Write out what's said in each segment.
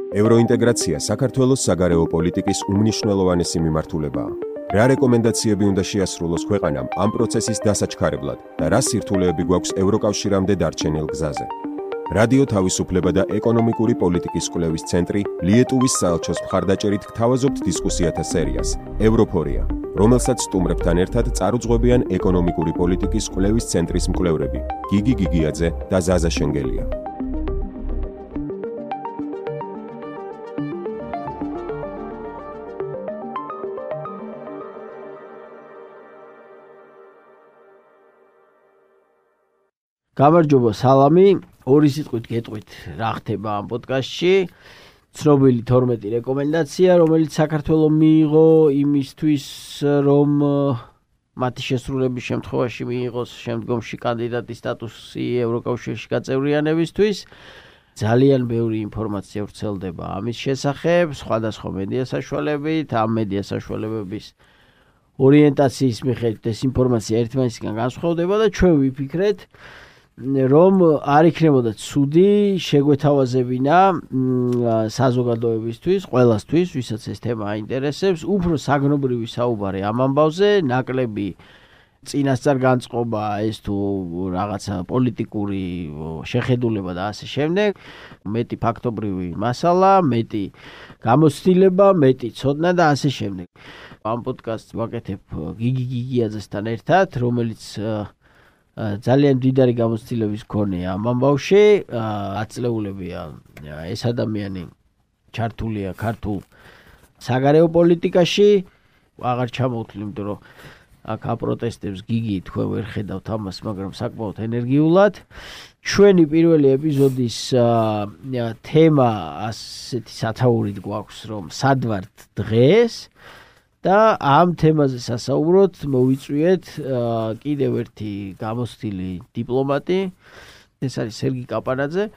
ევროინტეგრაცია საქართველოს საგარეო პოლიტიკის უმნიშვნელოვანესი მიმართულებაა. რა რეკომენდაციები უნდა შეასრულოს ქვეყანამ ამ პროცესის დასაჩქარებლად და რა სირთულეები გვაქვს ევროკავშირამდე დარჩენილ გზაზე. რადიო თავისუფლება და ეკონომიკური პოლიტიკის კვლევის ცენტრი ლიეტუვის საელჩოს მხარდაჭერით გთავაზობთ დისკუსიათა სერიას ევროფორია, რომელსაც სტუმრებთან ერთად წარუძღვებიან ეკონომიკური პოლიტიკის კვლევის ცენტრის მკვლევრები გიგი გიგიაძე და ზაზა შენგელია. გამარჯობა, სალამი. ორი სიტყვით გეტყვით რა ხდება ამ პოდკასტში. ცნობილი 12 რეკომენდაცია, რომელიც საქართველოს მიიღო იმისთვის, რომ მათი შესრულების შემთხვევაში მიიღოს შემდგომში კანდიდატის სტატუსი ევროკავშირში გაწევრიანებისთვის. ძალიან ბევრი ინფორმაცია ვრცელდება ამის შესახებ, სხვადასხვა მედია საშუალებით, ამ მედია საშუალებების ორიენტაციის მიხედვით ეს ინფორმაცია ერთმანეთისგან განსხვავდება და ჩვენ ვიფიქრეთ, რომ არ იქნებოდა ცუდი შეგვეთავაზებინა საზოგადოებისთვის, ყველასთვის, ვისაც ეს თემა აინტერესებს, უფრო საგნობრივი საუბარი ამ ამბავზე, ნაკლები წინასწარ განწყობა, ეს თუ რაღაცა პოლიტიკური შეხედულება და ასე შემდეგ, მეტი ფაქტობრივი მასალა, მეტი გამოცდილება, მეტი ცოდნა და ასე შემდეგ. ამ პოდკასტს ვაკეთებ გიგი გიგიაძესთან ერთად, რომელიც ძალიან დიდარი გამოცდილების მქონეა ამ ამბავში, აწლეულებია ეს ადამიანი ჩართულია ქართულ საგარეო პოლიტიკაში, აღარ ჩამოვთვლი, იმიტომ რომ აქ აპროტესტებს გიგი თქვენ ვერ ხედავთ ამას, მაგრამ საკმაოდ ენერგიულად. ჩვენი პირველი ეპიზოდის თემა ასეთი სათაურით გვაქვს, რომ სად ვართ დღეს და ამ თემაზე სასაუბროთ მოვიწვიეთ კიდევ ერთი გამოცდილი დიპლომატი, ეს არის სერგი კაპანაძე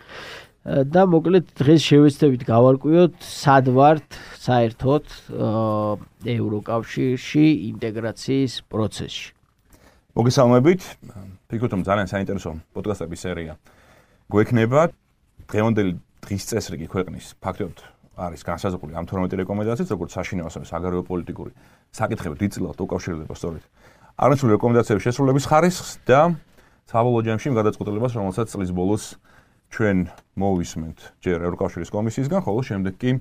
და მოკლედ დღეს შევეცდებით გავარკვიოთ სად ვართ საერთოდ ევროკავშირში ინტეგრაციის პროცესში. მოგესალმებით, ვფიქრობ რომ ძალიან საინტერესო პოდკასტების სერია გვექნება. დღევანდელი დღის წესრიგი ქვეყნის ფაქტობრივად არის განსაზღვრული ამ 12 რეკომენდაციით, როგორც საშინაო ასევე საგარეო პოლიტიკური საკითხები დიდწილად უკავშირდება სწორედ არანაცვლად რეკომენდაციების შესრულების ხარისხს და საბოლოო ჯამში იმ გადაწყვეტილებას, რომელსაც წლის ბოლოს ჩვენ მოვისმენთ ჯერ ევროკავშირის კომისიისგან, ხოლო შემდეგ კი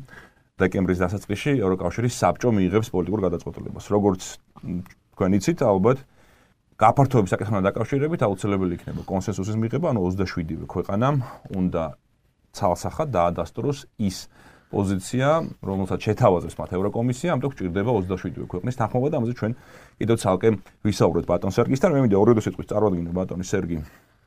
დეკემბრის დასაწყისში ევროკავშირის საბჭო მიიღებს პოლიტიკურ გადაწყვეტილებას. როგორც თქვენ იცით, ალბათ გაფართოების საკითხთან დაკავშირებით აუცილებელი იქნება კონსენსუსის მიღება, ანუ 27-ვე ქვეყანამ უნდა ცალსახად დაადასტუროს ის პოზიცია, რომელსაც შეთავაზებს მათ ევროკომისია, ამიტომ გვჭირდება 27 ქვეყნის თანხმობა და ამაზე ჩვენ კიდევ ცალკე ვისაუბროთ ბატონ სერგისთან. მე მინდა ორივე სიტყვის წარვადგინო ბატონი სერგი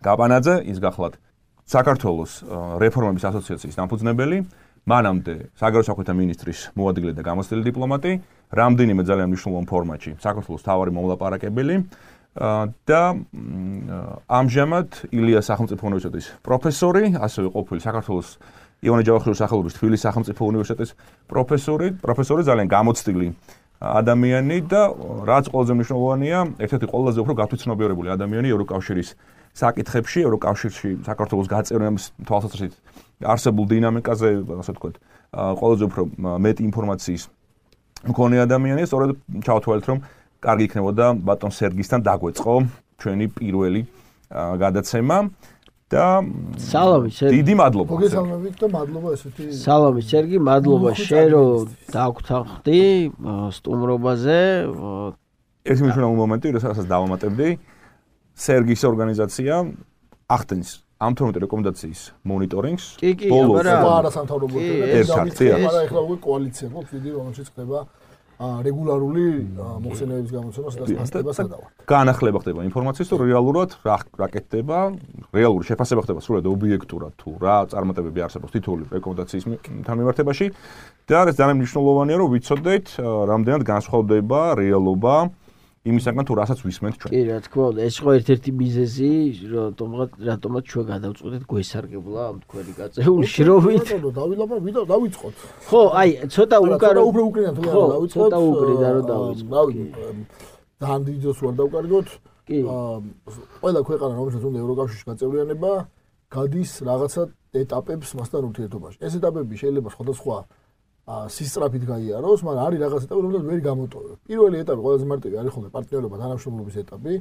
კაპანაძე, ის გახლავთ საქართველოს რეფორმების ასოციაციის დამფუძნებელი, მანამდე საგარეო საქმეთა მინისტრის მოადგილე და გამოცდილი დიპლომატი, რამდენიმე ძალიან მნიშვნელოვან ფორმატში საქართველოს მთავარი მომლაპარაკებელი და ამჟამად ილიას სახელმწიფო უნივერსიტეტის პროფესორი, ასევე ყოფილი საქართველოს ივანე ჯავახიშვილის სახელობის თბილისის სახელმწიფო უნივერსიტეტის პროფესორი, ძალიან გამოცდილი ადამიანი და რაც ყველაზე მნიშვნელოვანია, ერთ-ერთი ყველაზე უფრო გათვითცნობიერებული ადამიანი ევროკავშირის საკითხებში, ევროკავშირში საქართველოს გაწევრიანების თვალსაზრისით არსებულ დინამიკაზე, ასე ვთქვათ, ყველაზე უფრო მეტი ინფორმაციის მქონე ადამიანია, სწორედ ჩავთვალეთ, რომ კარგი იქნებოდა ბატონ სერგისთან დაგვეწყო ჩვენი პირველი გადაცემა. და სალამი სერგი. დიდი მადლობა. მოგესალმებით და მადლობა ესეთი. სალამი სერგი, მადლობა შენ რომ დაგვთანხმდი სტუმრობაზე. ეს მნიშვნელოვანი მომენტი, როდესაც დავამატებდი. სერგის ორგანიზაცია ახდენს ამ 12 რეკომენდაციის მონიტორინგს. ბოლოს არა სამთავრობო ერთად, მაგრამ ახლა უკვე კოალიცია გვაქვს, დიდი რომელშიც ხდება რეგულარული მოხსენებების გამოცემას და სტატიას გადავართ. განახლება ხდება ინფორმაციის, თუ რეალურად რა კეთდება, რეალური შეფასება ხდება სრულად ობიექტურად, თუ რა წარმატებები არსებობს თითოეული რეკომენდაციის მიმართებაში და ეს ძალიან მნიშვნელოვანია, რომ ვიცოდეთ, რამდენად განსხვავდება რეალობა იმისაგან თუ რასაც ვისმენთ ჩვენ. კი, რა თქმა უნდა, ეს ხო ერთ-ერთი მიზეზი, რატომაც ჩვენ გადავწყვეტეთ გვესარგებლა ამ თქვენი გაწეული შრომით. დავიწყოთ. ხო, აი, ცოტა უკარო უფრო უკრიდან თუ არა დავიწყოთ. ცოტა უკრიდან რომ დავიწყოთ. ძალიან დიდოს ვარ დავკარგოთ. ყველა ქვეყანა, რომელსაც უნდა ევროკავშირში გაწევრიანება, გადის რაღაცა ეტაპებს მასთან ურთიერთობაში. ეს ეტაპები შეიძლება სხვადასხვა სისწრაფით გაიაროს, მაგრამ არის რაღაც ეტაპი, რომელსაც ვერ გამოტოვებ. პირველი ეტაპი ყველაზე მარტივი არის ხოლმე პარტნიორობა, თანამშრომლობის ეტაპი.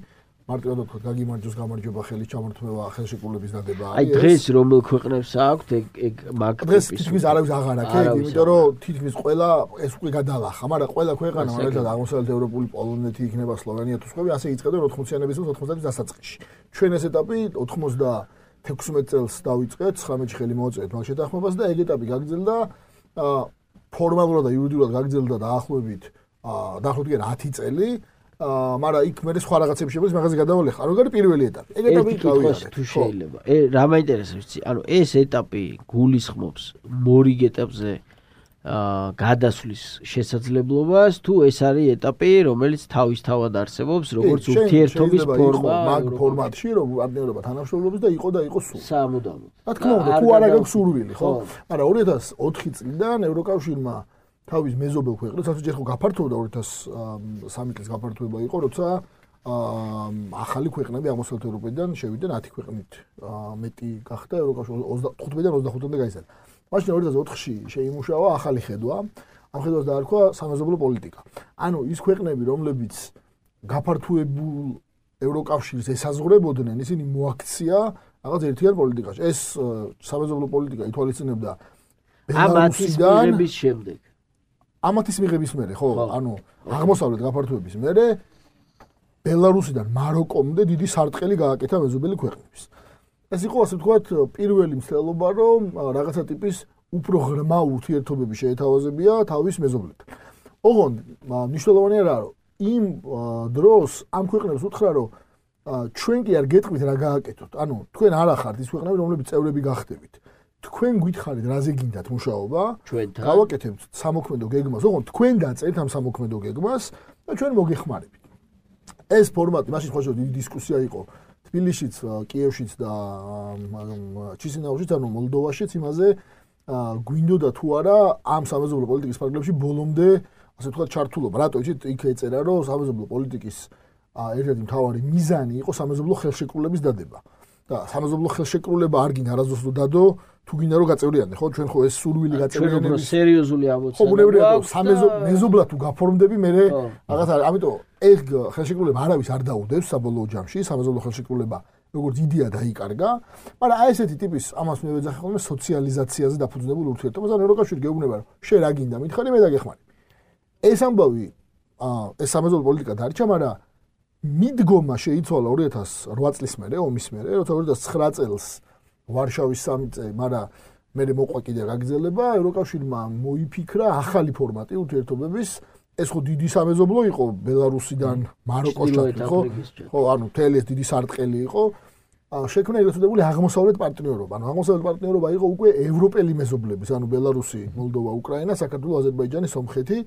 მარტივად ვთქვათ, გაგიმარჯოს, გამარჯობა, ხელის ჩამორთმევა, ხელშეკრულების დადება. აი დღეს რომელ ქვეყნებს აქვთ ეგ მაგ დღეს თითქმის არავის აღარ აქვს, იმიტომ რომ თითქმის ყველა ეს უკვე გადალახა, მაგრამ ყველა ქვეყანა, მაგალითად აღმოსავლეთ ევროპული პოლონეთი იქნება, სლოვენია თუ სხვები, ასე იწყებენ 80-იანების 90-იანების დასაწყისში. ჩვენ ეს ეტაპი 96 წელს დავიწყეთ, 19-ში ხელი მოვაწერეთ მაგ შეთანხმებას და ეგ ეტაპი გაგრძელდა ფორმალურად და იურიდიულად გაგრძელდა დაახლოებით 10 წელი. მაგრამ იქ მე სხვა რაღაცები შეგვიძლია მაგაზე გადავალეხ. ანუ გარი პირველი ეტაპი. ეგ ეტაპი გავიარეთ. თუ შეიძლება. რა მაინტერესებს იცი? ანუ ეს ეტაპი გულისხმობს მორიგ ეტაპზე გადასვლის შესაძლებლობას, თუ ეს არის ეტაპი, რომელიც თავისთავად არსებობს, როგორც ურთიერთობის ფორმა, მაგ ფორმატში, რომ პარტნიორობა თანამშრომლობის და იყოს სულ. სამუდამოდ. რა თქმა უნდა, თუ არა გაქვს სურვილი, ხო? მაგრამ 2004 წლიდან ევროკავშირმა თავის მეზობელ ქვეყნებს, ასე ჯერ ხო გაფართოვდა 2003 წლის გაფართოება იყო, როცა ახალი ქვეყნები აღმოსავლეთ ევროპიდან შევიდნენ 10 ქვეყნით. მეტი გახდა ევროკავშირი 15-დან 25-მდე გაიზარდა. მაშინ 2004-ში შეიმუშავა ახალი ხედვა. ამ ხედვას დაარქვა სამეზობლო პოლიტიკა. ანუ ის ქვეყნები, რომლებიც გაფართოებულ ევროკავშირს ესაზღვრებოდნენ, ისინი მოაქცია რაღაც ერთიან პოლიტიკაში. ეს სამეზობლო პოლიტიკა ითვალისწინებდა ბელარუსიდან შემდეგ. ამათის მიღების მერე, ხო? ანუ აღმოსავლეთ გაფართოების მერე ბელარუსიდან მაროკომდე დიდი სარტყელი გააკეთა მეზობელი ქვეყნების. ეს იყო ასე ვთქვათ პირველი მცდელობა, რომ რაღაცა ტიპის უფრო ღრმა ურთიერთობები შეეთავაზებია თავის მეზობლებთან. ოღონდ მნიშვნელოვანი არა, რომ იმ დროს ამ ქვეყნებს უთხრა, რომ ჩვენ კი არ გეტყვით რა გააკეთოთ. ანუ თქვენ არ ახართ ის ქვეყნები, რომლებიც წევრები გახდებით. თქვენ გითხარით რაზე გინდათ მუშაობა, გავაკეთებთ სამოქმედო გეგმას, ოღონდ თქვენ დაწერთ ამ სამოქმედო გეგმას და ჩვენ მოგეხმარებით. ეს ფორმატი მაშინ ხოჭო დიდი დისკუსია იყო თბილისშიც, კიევშიც და ჩისინაუშიც, ანუ მოლდოვაშიც იმაზე გვინდოდა თუ არა ამ სამეზობლო პოლიტიკის ფარგლებში ბოლომდე, ასე ვთქვათ, ჩართულობა. რატო იცით, იქ ეწერა, რომ სამეზობლო პოლიტიკის ერთ-ერთი მთავარი მიზანი იყო სამეზობლო ხელშეკრულების დადება. და სამეზობლო ხელშეკრულება არ გინდა არასდროს დადო, თუ გინდა რომ გაწევრიანდე, ხო? ჩვენ ხო ეს სურვილი გაწევრიანების სერიოზული ამოცანა. ხო, ბუნებრივია, მეზობლად თუ გაფორმდები, მე რაღაც არის. ამიტომ ეს ხელშეკრულება არავის არ დაუდევს საბოლოო ჯამში, სამეზობლო ხელშეკრულება როგორც იდეა დაიკარგა, მაგრამ აი ესეთი ტიპის ამას მე ვეძახი ხოლმე სოციალიზაციაზე დაფუძნებულ ურთიერთობას, ან ევროკავშირი გეუბნება, რომ შენ რა გინდა, მითხარი, მე დაგეხმარები. ეს ამბავი, ეს სამეზობლო პოლიტიკა დარჩა, მაგრამ მიდგომა შეიცვალა 2008 წლის მერე, ომის მერე, როცა 2009 წელს ვარშავის სამიტზე, მაგრამ მე მოყვა კიდე გაგრძელება, ევროკავშირმა მოიფიქრა ახალი ფორმატი ურთიერთობების. ეს ხო დიდი სამეზობლო იყო ბელარუსიდან მაროკოსთან, ხო? ხო, ანუ მთელი ეს დიდი სარტყელი იყო. შექმნა ეგრეთ წოდებული აღმოსავლეთ პარტნიორობა. ანუ აღმოსავლეთ პარტნიორობა იყო უკვე ევროპელი მეზობლების, ანუ ბელარუსი, მოლდოვა, უკრაინა, საქართველო, აზერბაიჯანი, სომხეთი.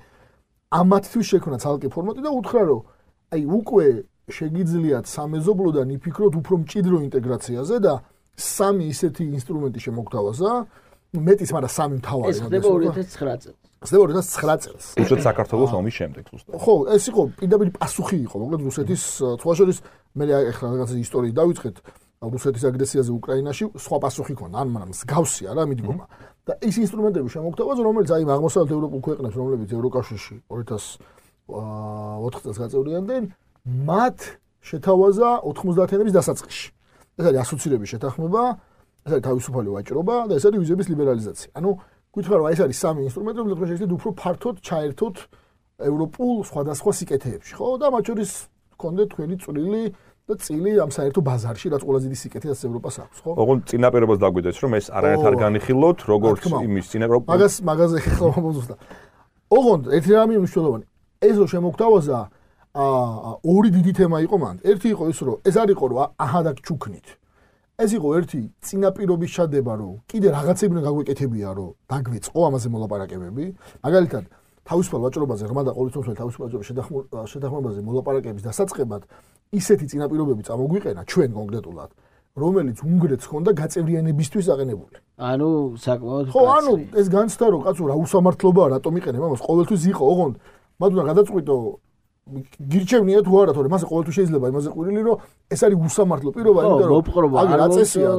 ამათთვის შექმნა ცალკე ფორმატი და უთხრა, რომ აი უკვე შეგიძლიათ სამეზობლოდან იფიქროთ უფრო მჭიდრო ინტეგრაციაზე და სამი ისეთი ინსტრუმენტი შემოგთავაზა, მეტის, მაგრამ სამი მთავარი. ეს ხდება 2009 წელს. ხდება 2009 წელს. რუსეთ საქართველოს ომის შემდეგ ზუსტად. ხო, ეს იყო პირდაპირ პასუხი იყო, მოკლედ რუსეთის სხვა შორის მე ახლა რაღაცა ისტორიის დავიწყეთ რუსეთის აგრესიაზე უკრაინაში, სხვა პასუხი ქონდა, ან მაგრამ მსგავსია რა მიდგომა. და ის ინსტრუმენტები შემოგთავაზა, რომელიც აი აღმოსავლეთ ევროპულ ქვეყნებს, რომლებიც ევროკავშირში 2004 წელს გაწევრიანდნენ, მათ შეთავაზა 90-იანების დასაწყისში. ეს არის ასოცირების შეთანხმება, ეს არის თავისუფალი ვაჭრობა და ეს არის ვიზების ლიბერალიზაცია. ანუ გითხრა რომ ეს არის სამი ინსტრუმენტი, რომლებიც შეიძლება უფრო ფართოდ ჩაერთოთ ევროპულ სხვადასხვა სიკეთეებში, ხო? და მათ შორის გქონდეთ თქვენი წვრილი და წილი ამ საერთო ბაზარში, რაც ყველაზე დიდი სიკეთე რაც ევროპას აქვს, ხო? ოღონდ წინაპირობას დაგვიდეს, რომ ეს არანაირად არ განიხილოთ, როგორც იმის წინაპირობა. მაგაზე ხო მოზუსტა. ოღონდ ერთი რამე მნიშვნელოვანი. ეს რო შემოგთავაზა ორი დიდი თემა იყო მან. ერთი იყო ის, რომ ეს არ იყო, რომ აჰა ჩუქნით. ეს იყო ერთი წინაპირობის ჩადება, რომ კიდე რაღაცები გაგვეკეთებია, რომ დაგვეწყო ამაზე მოლაპარაკებები. მაგალითად, თავისუფალ ვაჭრობაზე, ღრმა და ყოველწლიური თავისუფალ ვაჭრობის შეთანხმებაზე მოლაპარაკების დასაწყებად ისეთი წინაპირობები წამოგვიყენა ჩვენ კონკრეტულად, რომელიც უნგრეთს ჰქონდა გაწევრიანებისთვის აყენებული. ანუ საკმაოდ ხო, ანუ ეს განცდა, რომ კაცო რა უსამართლობაა, რატომ იყენებ ამას, ყოველთვის იყო, ოღონდ მათ უნდა გადაწყვიტო გირჩევნია თუ არა, თორე მასე ყოველთვის შეიძლება იმაზე ყვირილი, რომ ეს არის უსამართლო პირობა, იმიტომ რომ აი გაწესია,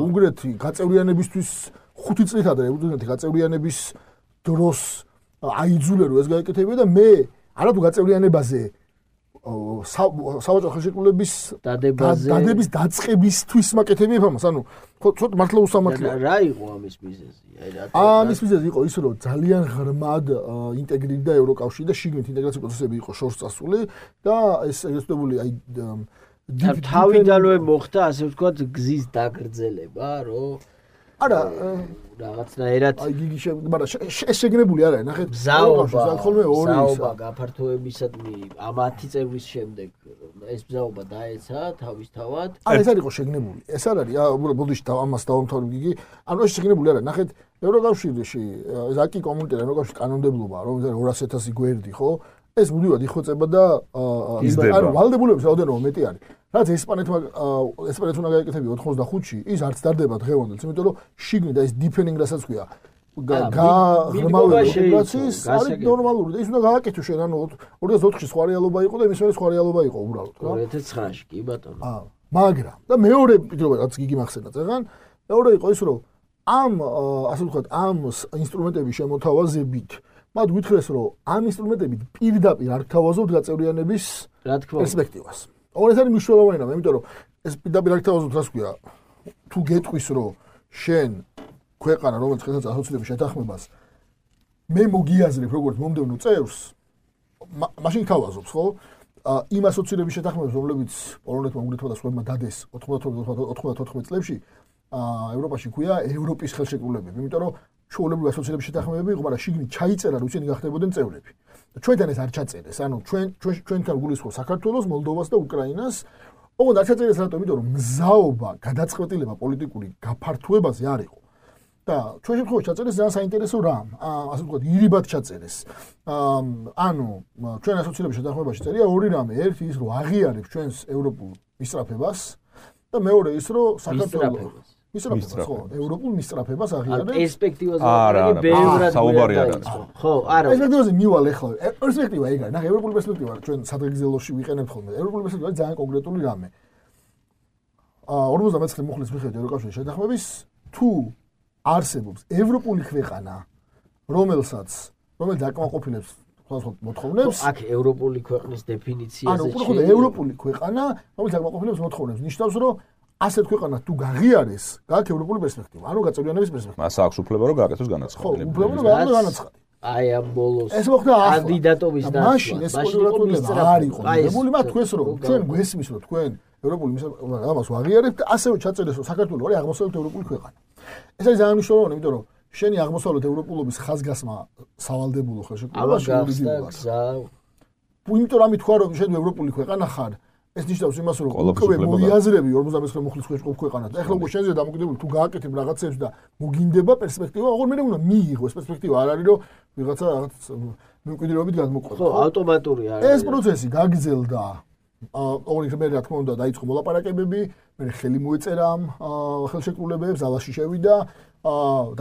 უნგრეთი გაწევრიანებისთვის 5 წლით ადრე უნგრეთი გაწევრიანების დროს აიძულა რომ ეს გაეკეთებინა და მე არათუ გაწევრიანებაზე საბჭოთა ხელშეკრულების დადების დაწყებისთვის მაკეთებია ამას, ანუ ცოტა მართლა უსამართლოა. რა იყო ამის მიზეზი? ამის მიზეზი იყო ის, რომ ძალიან ღრმად ინტეგრირდა ევროკავშირი და შიგნით ინტეგრაციის პროცესები იყო შორს წასული და ეს ეგრეთებული აი თავიდანვე მოხდა ასე ვთქვათ გზის დაგრძელება, რომ არა რაღაცნაირად აი გიგი მაგრამ ეს შეგნებული არ არის ნახეთ ზაობა გაფართოებისადმი ამ 10 წევრის შემდეგ ეს ზაობა დაეცა თავისთავად არა ეს არ იყო შეგნებული ეს არ არის უბრალოდ ბოდიში ამას დავამთავრებ გიგი ანუ ეს შეგნებული არ არის ნახეთ ევროკავშირში ზაკი კომუნიტეტი ევროკავშირის კანონმდებლობა რომ 200,000 გვერდი ხო ეს მუდმივად იხვეწება და ანუ ვალდებულების რაოდენობა მეტი არის რაც ესპანეთმა უნდა გაეკეთებინა 85-ში ის არც დარდება დღევანდელს იმიტომ რომ შიგნით ეს დიფენინგ რასაც ქვია ღრმავი ინტეგრაციის არის ნორმალური და ის უნდა გააკეთო შენ ანუ 2004-ში სხვა რეალობა იყო და იმის მერე სხვა რეალობა იყო უბრალოდ 2009-ში კი ბატონო მაგრამ და მეორე პირობა რაც გიგი მახსენდა წეგან მეორე იყო ის რომ ამ ასე ვთქვათ ამ ინსტრუმენტების შემოთავაზებით მათ გითხრეს რომ ამ ინსტრუმენტებით პირდაპირ არ გთავაზობთ გაწევრიანების პერსპექტივას ეს არის მნიშვნელოვანი რამ, იმიტომ რომ ეს პირდაპირ არ გთავაზობთ რას ქვია. თუ გეტყვის რომ შენ ქვეყანა რომელიც ხელს ასოცირების შეთანხმებას მე მოგიაზრებ როგორც მომდევნო წევრს, მაშინ გთავაზობს, ხო? იმ ასოცირების შეთანხმებას, რომლებიც პოლონეთმა, უნგრეთმა და სხვებმა დადეს 94 წლებში, ევროპაში ქვია ევროპის ხელშეკრულებები, იმიტომ რომ ჩვეულებრივი ასოცირების შეთანხმებები იყო, მაგრამ შიგნით ჩაიწერა, რომ ისინი გახდებოდნენ წევრები. ჩვენთან ეს არ ჩაწერეს, ანუ ჩვენთან გულისხმობს საქართველოს, მოლდოვას და უკრაინას. ოღონდ არ ჩაწერეს რატომ? იმიტომ რომ მზაობა, გადაწყვეტილება პოლიტიკური გაფართოებაზე არ იყო. და ჩვენ შემთხვევაში ჩაწერეს ძალიან საინტერესო რამ, ასე ვთქვათ, ირიბად ჩაწერეს. ანუ ჩვენ ასოცირების შეთანხმებაში წერია ორი რამე, ერთი ის რომ აღიარებს ჩვენს ევროპულ მისწრაფებას და მეორე ის რომ საქართველოს მისწრაფებას ხო, ევროპულ მისწრაფებას აღიარებს. პერსპექტივაზე ბევრად საუბარი არ არის. ხო, არა. პერსპექტივაზე მივალ ახლა. პერსპექტივა ეგ არის. ნახე, ევროპული პერსპექტივა ჩვენ სადღეგრძელოში ვიყენებთ ხოლმე. ევროპული პერსპექტივა ძალიან კონკრეტული რამე. 59 მუხლის მიხედვით ევროკავშირის შეთანხმების თუ არსებობს ევროპული ქვეყანა, რომელიც აკმაყოფილებს სხვადასხვა მოთხოვნებს, აქ ევროპული ქვეყნის დეფინიციაზე ანუ ევროპული ქვეყანა, რომელიც აკმაყოფილებს მოთხოვნებს, ნიშნავს, რომ ასეთ ქვეყანას თუ გაღიარეს, გააქვს ევროპული პერსპექტივა, ანუ გაწევრიანების პერსპექტივა. მას აქვს უფლება რომ გააკეთოს განაცხადი. ხო, უფლება რომ გააკეთოს განაცხადი. აი ამ ბოლოს ეს მოხდა კანდიდატობის დაცვა. მაშინ ეს პოლიტიკა არ იყო. მებული მათ თქვენს რომ ჩვენ გვესმის რომ თქვენ ევროპული ამას ვაღიარებთ და ასევე ჩაწერეს რომ საქართველოს არის აღმოსავლეთ ევროპული ქვეყანა. ეს არის ძალიან მნიშვნელოვანი, იმიტომ რომ შენი აღმოსავლეთ ევროპულობის ხაზგასმა სავალდებულო ხელშეკრულებაში გზა. იმიტომ რომ თქვა რომ შენ ევროპული ქვეყანა ხარ, ეს ნიშნავს იმას რომ უკვე მოიაზრები 59 მუხლის ქვეყანას. და ეხლა უკვე შენზე დამოკიდებული თუ გააკეთებ რაღაცებს და მოგინდება პერსპექტივა, აღარ მე უნდა მიიღოს პერსპექტივა, არ არის რომ ვიღაცა რაღაც მემკვიდრეობით გადმოყვება. ხო, ავტომატური არის. ეს პროცესი გაგრძელდა. ორი მე რა თქმა უნდა დაიწყო მოლაპარაკებები, მე ხელი მოეწერა ამ ხელშეკრულებებს, ზალაში შევიდა,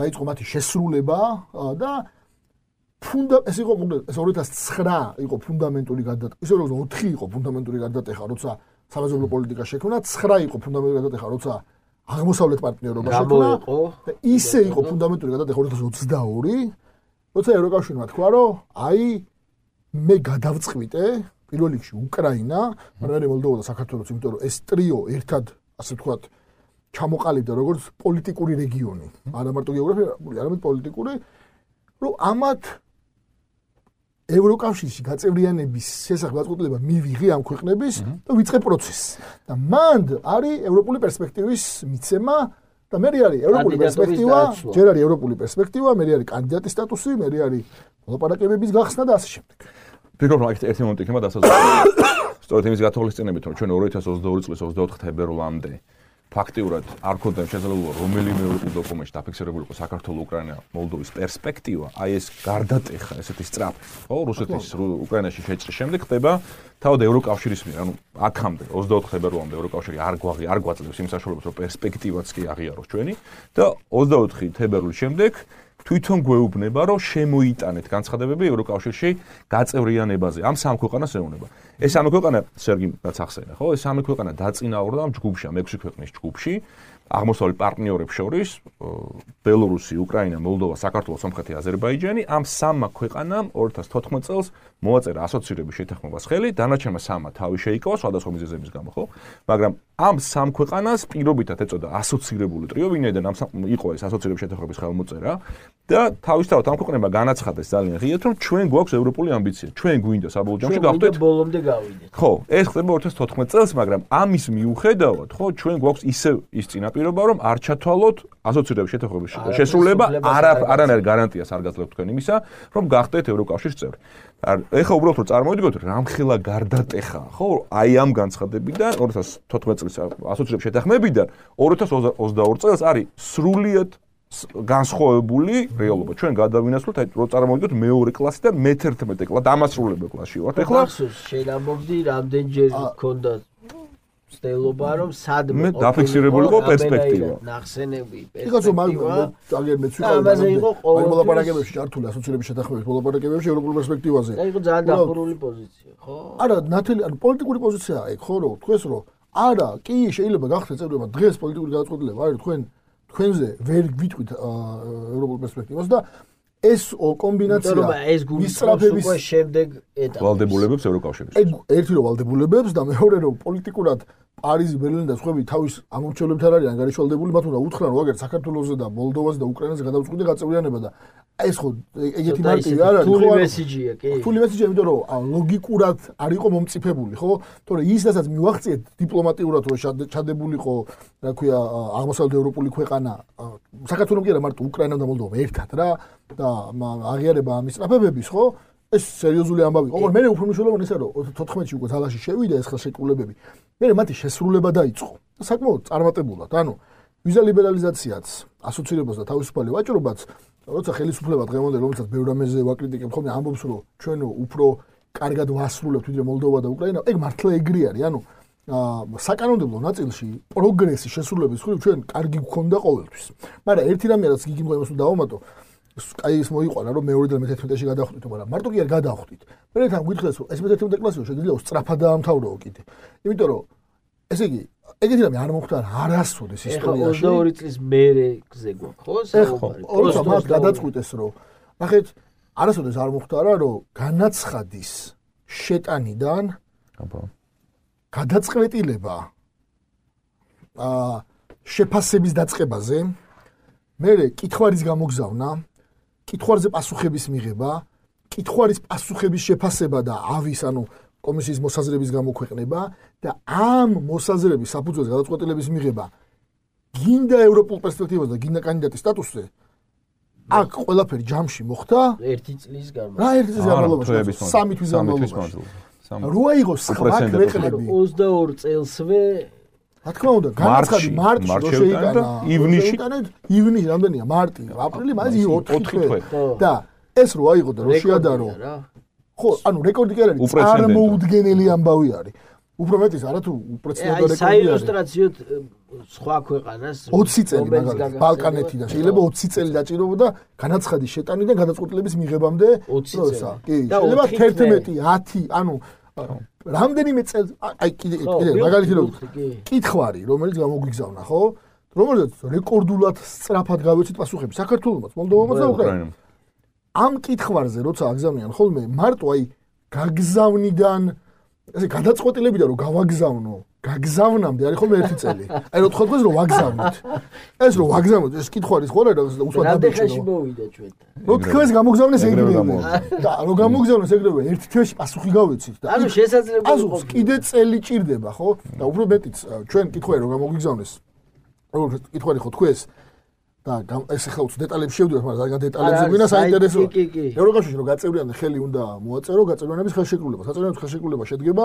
დაიწყო მათი შესრულება და ეს იყო ეს 2009 იყო ფუნდამენტური გადატეხა. ისე როგორც 4 იყო ფუნდამენტური გადატეხა, როცა სამეზობლო პოლიტიკა შექმნა, 9 იყო ფუნდამენტური გადატეხა, როცა აღმოსავლეთ პარტნიორობა შექმნა და ისე იყო ფუნდამენტური გადატეხა 2022, როცა ევროკავშირმა თქვა, რომ აი მე გადავწყვიტე პირველ რიგში უკრაინა, მაგრამ მოლდოვა და საქართველოს, იმიტომ რომ ეს ტრიო ერთად, ასე ვთქვათ, ჩამოყალიბდა როგორც პოლიტიკური რეგიონი, არა მარტო გეოგრაფიული, არამედ პოლიტიკური, რომ ამათ ევროკავშირში გაწევრიანების შესახებ გადაწყვეტილება მივიღე ამ ქვეყნების და ვიწყე პროცესს. და მანდ არის ევროპული პერსპექტივის მიცემა და მე არის ევროპული პერსპექტივა, ჯერ არის ევროპული პერსპექტივა, მე არის კანდიდატის სტატუსი, მე არის მოლაპარაკებების გახსნა და ასე შემდეგ. ფიქრობ რომ ერთი მომენტი იქნება დასაზღვრავი. სწორედ იმის გათვალისწინებით, რომ ჩვენ 2022 წლის 24 თებერვლამდე ფაქტიურად არ ქონდა შესაძლებლობა რომელიმე ევროპულ დოკუმენტში დაფიქსირებული იყო საქართველოს, უკრაინა, მოლდოვის პერსპექტივა, აი ეს გარდატეხა, ესეთი სწრაფი, ხო, რუსეთის უკრაინაში შეჭრის შემდეგ ხდება თავად ევროკავშირის მიერ, ანუ აქამდე 24 თებერვლამდე ევროკავშირი არ გვაძლევს იმ საშუალებას, რომ პერსპექტივაც კი აღიაროს ჩვენი და 24 თებერვლის შემდეგ თვითონ გვეუბნება, რომ შემოიტანეთ განცხადებები ევროკავშირში გაწევრიანებაზე. ამ სამ ქვეყანას ეუბნება. ეს სამი ქვეყანა სერგი რაც ახსენა, ხო? ეს სამი ქვეყანა დაწინაურდა ამ ჯგუფში, ამ 6 ქვეყნის ჯგუფში. აღმოსავლეთ პარტნიორებს შორის ბელორუსი, უკრაინა, მოლდოვა, საქართველო, სომხეთი, აზერბაიჯანი ამ სამმა ქვეყანამ 2014 წელს მოაწერა ასოცირების შეთანხმებას ხელი, დანარჩენმა სამმა თავი შეიკავა სხვადასხვა მიზეზების გამო, ხო? მაგრამ ამ სამ ქვეყანას პირობითად ეწოდა ასოცირებული ტრიო, ვინაიდან ამ იყო ეს ასოცირების შეთანხმების ხელმოწერა და თავისთავად ამ ქვეყნებმა განაცხადეს ძალიან ღიად, რომ ჩვენ გვაქვს ევროპული ამბიცია, ჩვენ გვინდა საბოლოო ჯამში გავხდეთ ბოლომდე გავიდეთ. ხო, ეს ხდება 2014 წელს, მაგრამ ამის მიუხედავად, ხო, ჩვენ გვაქვს ისევ ის წინაპირობა, რომ არ ჩათვალოთ ასოცირების შეთანხმების შესრულება, არანაირ გარანტიას არ გაძლევთ თქვენ იმისა, რომ გახდეთ ევროკავშირის წევრი. ეხლა უბრალოდ რომ წარმოვიდგოთ, რამხელა გარდატეხა, ხო, აი ამ განცხადებიდან 2014 წლის ასოცირების შეთანხმებიდან 2022 წელს არის სრულიად განსხვავებული რეალობა. ჩვენ გადავინაცვლოთ, აი რომ წარმოვიდგოთ მეორე კლასი და მე-11 კლასი, დამასრულებელ კლასში ვართ. ეხლა შენ ამბობდი, რამდენჯერ გქონდა ცდილობა, რომ სადმე დაფიქსირებულიყო პერსპექტივა. ნახსენები, იგივე მაგრამ ძალიან მეც ვიყავ. ამაზე იყო აი მოლაპარაკებებში ჩართული ასოცირების შეთანხმების მოლაპარაკებებში ევროპულ პერსპექტივაზე. და იყო ძალიან დახურული პოზიცია, ხო? არა, ნათელი, ანუ პოლიტიკური პოზიციაა ეგ, ხო, რომ თქვენს რომ არა, კი შეიძლება გახდეთ წევრება დღეს პოლიტიკური გადაწყვეტილება არის თქვენზე ვერ გვიტყვით ევროპულ პერსპექტივას და ეს კომბინაცია მისწრაფების შემდეგ ეტაპი ვალდებულებებს ევროკავშირის. ერთი რომ ვალდებულებებს და მეორე რომ პოლიტიკურად პარიზი, ბერლინი და სხვები თავის ამორჩევლებთან არიან გარიშვალდებული, მათ უნდა უთხრან რომ აგერ საქართველოზე და მოლდოვაზე და უკრაინაზე გადავწყვიტე გაწევრიანება და ეს ხო ეგეთი მარტივი არ არის, ხო? თული მესიჯია, კი. თული მესიჯია, იმიტომ რომ ლოგიკურად არ იყო მომწიფებული, ხო? თორე ის რასაც მივახციეთ დიპლომატიურად რომ ჩადებულიყო, რა ქვია, აღმოსავლეთ ევროპული ქვეყანა, საქართველოს კი არა, მარტო უკრაინა და მოლდოვა ერთად რა და აღიარება ამის სტრაფებების, ხო? ეს სერიოზული ამბავი. ოღონდ მე უფრო მნიშვნელოვანი ისაა, რომ 2014-ში უკვე თალაში შევიდა ეს ხელშეკრულებები. მე მათი შესრულება დაიწყო. და საკმაოდ წარმატებულად. ანუ ვიზა ლიბერალიზაციაც, ასოცირებას და თავისუფალი ვაჭრობაც, როცა ხელისუფლება დღევანდელი, რომელსაც ბევრ რამეზე ვაკრიტიკებ, ხოლმე ამბობს, რომ ჩვენ უფრო კარგად ვასრულებთ ვიდრე მოლდოვა და უკრაინა. ეგ მართლა ეგრე არის. ანუ საკანონმდებლო ნაწილში პროგრესი შესრულების მხრივ ჩვენ კარგი გვქონდა ყოველთვის. მაგრამ ერთი რამე რაც გიგიმ იმას უნდა დავამატო, აი ეს მოიყვანა რომ მეორე და მე-11-ში გადავხვდით, მაგრამ მარტო კი არ გადავხვდით. მე თან გითხრეს რომ ეს მე-11 კლასი შეიძლება სწრაფად დაამთავროო კიდე. იმიტომ რომ ესე იგი ეგეთი რამე არ მოხდა არასოდეს ისტორიაში. 22 წლის მერე გზე გვაქვს, ხო? საუბარი. ოღონდ მათ გადაწყვიტეს რომ ნახეთ არასოდეს არ მოხდა რა რომ განაცხადის შეტანიდან გადაწყვეტილება შეფასების დაწყებაზე, მერე კითხვარის გამოგზავნა, კითხვარზე პასუხების მიღება, კითხვარის პასუხების შეფასება და ავის, ანუ კომისიის მოსაზრების გამოქვეყნება და ამ მოსაზრების საფუძველზე გადაწყვეტილების მიღება გინდა ევროპულ პერსპექტივაზე და გინდა კანდიდატის სტატუსზე. აქ ყველაფერი ჯამში მოხდა 1 წლის განმავლობაში. რა 1 წლის განმავლობაში? 3 თვის განმავლობაში. რა იყო სხვა ქვეყნები 22 წელსვე რა თქმა უნდა, განაცხადი მარტში რო შეიტანა, ივნისში, ივნისი რამდენია? მარტი, აპრილი, მაისი 4 თვე. და ეს რო აიღო და რო შეადარო. ხო, ანუ რეკორდი კი არ არის, წარმოუდგენელი ამბავი არის. უფრო მეტიც არათუ უპრეცედენტო რეკორდი არის. საილუსტრაციოდ სხვა ქვეყანას 20 წელი მაგალითად ბალკანეთიდან შეიძლება 20 წელი დაჭირებოდა განაცხადის შეტანიდან გადაწყვეტილების მიღებამდე 20 წელი. კი, შეიძლება 11, 10, ანუ რამდენიმე წელს აი კიდე მაგალითი რომ კითხვარი რომელიც გამოგვიგზავნა, ხო? რომელზეც რეკორდულად სწრაფად გავეცით პასუხები საქართველოსაც, მოლდოვამაც და უკრაინამ. ამ კითხვარზე როცა აგზავნიან ხოლმე მარტო აი გაგზავნიდან ესე გადაწყვეტილებიდან რომ გავაგზავნო, გაგზავნამდე არის ხოლმე 1 წელი. აი რო თქვენ რომ ვაგზავნით. ეს რომ ვაგზავნოთ ეს კითხვარის ხო არა და უსვათ დაბეჭდო. მოვიდა ჩვენთან. რო თქვენს გამოგზავნეს ეგრევე. და რო გამოგზავნეს ეგრევე 1 თვეში პასუხი გავეცით და ანუ შესაძლებელი იყო. კიდე წელი ჭირდება, ხო? და უფრო მეტიც ჩვენ კითხვარი რომ გამოგიგზავნეს. როგორ კითხვარი ხო თქვენს და ეს ახლა უც დეტალებში შევდივართ, მაგრამ ზოგადად დეტალებზე გვინა საინტერესო. ევროკავშირში რომ გაწევრიანდა ხელი უნდა მოაწერო გაწევრიანების ხელშეკრულება. გაწევრიანების ხელშეკრულება შედგება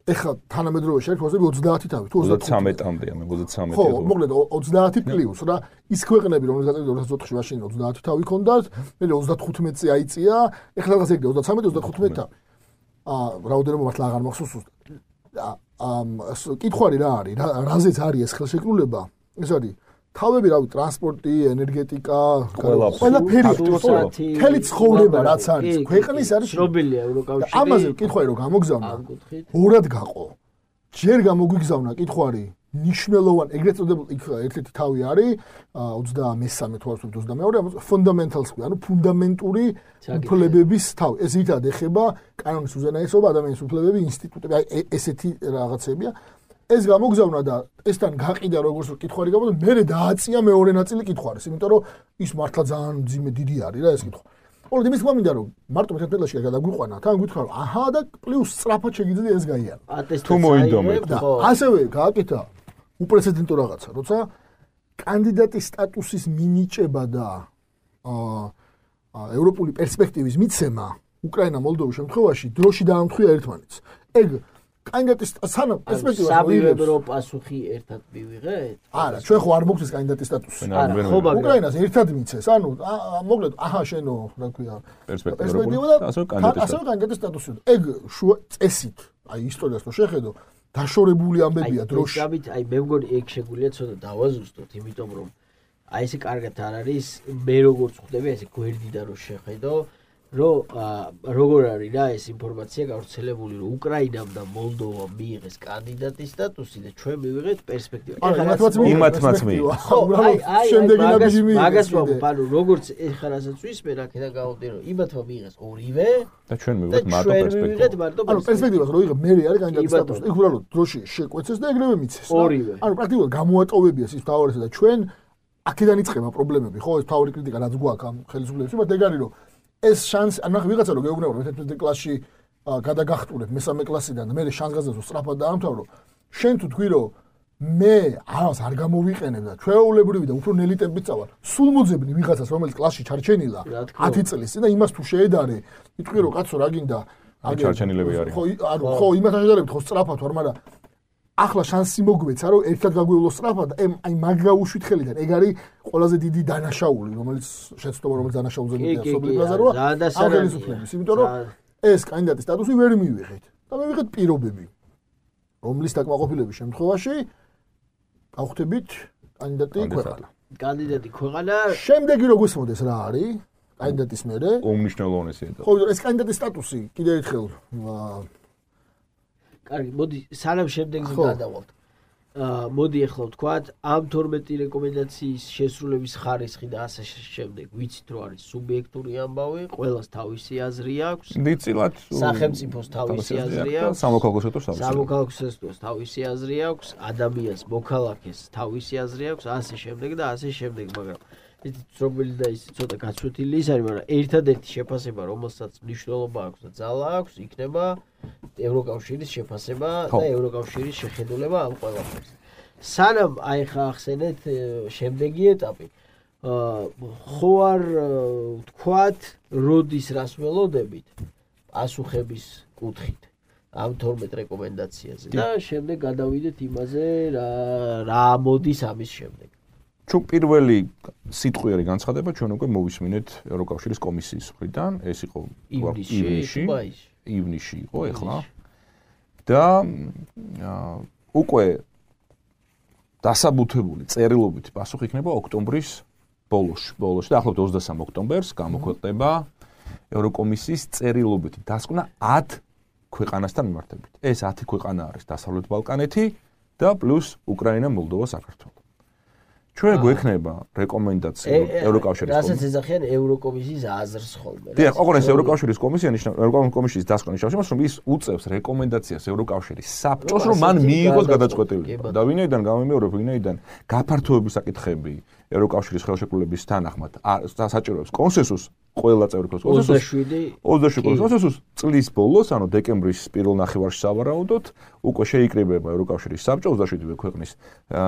ეხლა თანამედროვე შეერთებაზე 30 თავი, თუ 33-მდე, მე 33. ხო, მოკლედ 30 პლუს რა. ის ქვეყნები რომელიც გაწევრიანდა 2004-ში მაშინ 30 თავი ქონდათ, მე 35-ზე აიწია, ეხლა რაღაც ეგრე 33-35 თავი. რაოდენობა მართლა აღარ მახსოვს ზუსტად. კითხვარი რა არის? რაზეც არის ეს ხელშეკრულება? ეს არის თავები რავი ტრანსპორტი, ენერგეტიკა, ყველაფერი, მთელი ცხოვრება რაც არის ქვეყნის არის ცნობილია ევროკავშირი. ამაზე კითხვარი რომ გამოგზავნა ორად გაყო. ჯერ გამოგვიგზავნა კითხვარი ნიშნულოვანი ეგრეთ წოდებული იქ ერთ-ერთი თავი არის 23 თუ 22 ფუნდამენტალს ანუ ფუნდამენტური უფლებების თავი. ეს ითად ეხება კანონის უზენაესობა, ადამიანის უფლებები, ინსტიტუტები, აი ესეთი რაღაცებია. ეს გამოგზავნა და ესთან გაყიდა როგორც კითხვარი გამოდა, მე დააწია მეორე ნაწილი კითხვარის, იმიტომ რომ ის მართლა ძალიან ძიმე დიდი არის რა ეს კითხვა. ოღონდ იმის თქმა მინდა რომ მარტო მე თეთრელაში გადაგვიყვანა, თან გითხრა რომ აჰა და პლუს სწრაფად შეგიძლია ეს გაიარო. თუ მოინდომეთ და ასევე გააკეთა უპრეცედენტო რაღაცა, როცა კანდიდატის სტატუსის მინიჭება და ევროპული პერსპექტივის მიცემა უკრაინა მოლდოვის შემთხვევაში დროში დაამთხვია ერთმანეთს. ეგ კანდიდატის სანამ პერსპექტივას სამივე პასუხი ერთად მივიღეთ? არა, ჩვენ ხო არ მოგვცეს კანდიდატის სტატუსი. უკრაინას ერთად მიცეს. ანუ მოკლედ, აჰა, შენო, რა ქვია, პერსპექტივა და ასევე კანდიდატის სტატუსი. ეგ წესით, აი ისტორიას რო შეხედო, დაშორებული ამბებია დროში. აი მე მგონი ეგ შეგვიძლია ცოტა დავაზუსტოთ, იმიტომ რომ აი ესე კარგად არ არის, მე როგორც ხვდები, ესე გვერდიდან რო შეხედო, რომ როგორ არის რა ეს ინფორმაცია გავრცელებული, რომ უკრაინამ და მოლდოვამ მიიღეს კანდიდატის სტატუსი და ჩვენ მივიღეთ პერსპექტივა. იმათმაც მიიღეს. ხო, შემდეგი ნაბიჯი მიიღეს. მაგას ვამბობ, ანუ როგორც ეხლა რასაც ვისმენ, აქედან გავხდი, რომ იმათმა მიიღეს ორივე და ჩვენ მივიღეთ მარტო პერსპექტივა. ანუ პერსპექტივას რო იღებ, მე არის კანდიდატის სტატუსი. იქ უბრალოდ დროში შეკვეცეს და ეგრევე მიცეს. ანუ პრაქტიკულად გამოატოვებია ის თავარისა და ჩვენ აქედან იწყება პრობლემები, ხო, ეს თავი კრიტიკა რაც გვაქვს ამ ხელისუფლებებში, მაგრამ ეგ არის რომ ეს შანსი, ანუ ვიღაცა რო გეუბნება რომ 11 კლასში გადაგახტულებ მესამე კლასიდან და მე შანსგაზას სწრაფად დაამთავრო, შენ თუ თქვი რომ მე ამას არ გამოვიყენებ და ჩვეულებრივი და უფრო ნელი ტემპით წავალ, სულ მოძებნი ვიღაცას რომელიც კლასში ჩარჩენილა 10 წლის წინ და იმას თუ შეედარე, იტყვი რომ კაცო რა გინდა, ჩარჩენილები არის. ხო, იმასთან შედარებით ხო სწრაფად ვარ, მაგრამ ახლა შანსი მოგვეცა რომ ერთად გაგვივლო სწრაფად, აი მაგ გაუშვით ხელიდან. ეგ არის ყველაზე დიდი დანაშაული, რომელიც შეცდომა რომელიც დანაშაულზე მიდია სოფლიო ბაზაროა. ამ ხელისუფლების, იმიტომ რომ ეს კანდიდატის სტატუსი ვერ მივიღეთ და მივიღეთ პირობები, რომლის დაკმაყოფილების შემთხვევაში გავხდებით კანდიდატი ქვეყანა. კანდიდატი ქვეყანა. შემდეგი რო გვესმოდეს რა არის კანდიდატის მერე? უმნიშვნელოვანესია. ხო, ეს კანდიდატის სტატუსი კიდევ ერთხელ კარგი, მოდი სანამ შემდეგზე გადავალთ. მოდი ახლა ვთქვათ, ამ 12 რეკომენდაციის შესრულების ხარისხი და ასე შემდეგ. ვიცით რომ არის სუბიექტური ამბავი, ყველას თავისი აზრი აქვს. დიდწილად სახელმწიფოს თავისი აზრი აქვს, სამოქალაქო სექტორს თავისი აზრი აქვს, ადამიანს, მოქალაქეს თავისი აზრი აქვს, ასე შემდეგ და ასე შემდეგ, მაგრამ იცით რომელი და ის ცოტა გაცვეთილი ის არის, მაგრამ ერთადერთი შეფასება, რომელსაც მნიშვნელობა აქვს და ძალა აქვს, იქნება ევროკავშირის შეფასება და ევროკავშირის შეხედულება ამ ყველაფერს. სანამ აი ხა ახსენეთ შემდეგი ეტაპი. ხო არ ვთქვათ, როდის რას ველოდებით პასუხების კუთხით ამ 12 რეკომენდაციაზე და შემდეგ გადავიდეთ იმაზე რა მოდის ამის შემდეგ. ჩვენ პირველი სიტყვიერი განცხადება ჩვენ უკვე მოვისმინეთ ევროკავშირის კომისიის მხრიდან, ეს იყო ივნისში იყო ეხლა და უკვე დასაბუთებული წერილობითი პასუხი იქნება ოქტომბრის ბოლოში და ახლობთ 23 ოქტომბერს გამოქვეყნდება ევროკომისიის წერილობითი დასკვნა 10 ქვეყანასთან მიმართებით. ეს 10 ქვეყანა არის დასავლეთ ბალკანეთი და პლუს უკრაინა, მოლდოვა, საქართველო. ჩვენ გვექნება რეკომენდაცია ევროკავშირის კომისიის. რასაც ეძახიან ევროკომისიის აზრს ხოლმე. დიახ, ოღონდ ეს ევროკავშირის კომისია ნიშნავს კომისიის დასკვნა ნიშნავს იმას, რომ ის უწევს რეკომენდაციას ევროკავშირის საბჭოს, რომ მან მიიღოს გადაწყვეტილება. და ვინაიდან გამომიორებ, ვინაიდან გაფართოების საკითხები ევროკავშირის ხელშეკრულების თანახმად საჭიროებს კონსენსუსს, ყველა წევრი კონსენსუსს 27 კონსენსუსს წლის ბოლოს, ანუ დეკემბრის პირველ ნახევარში სავარაუდოდ, უკვე შეიკრიბება ევროკავშირის საბჭო 27 ქვეყნის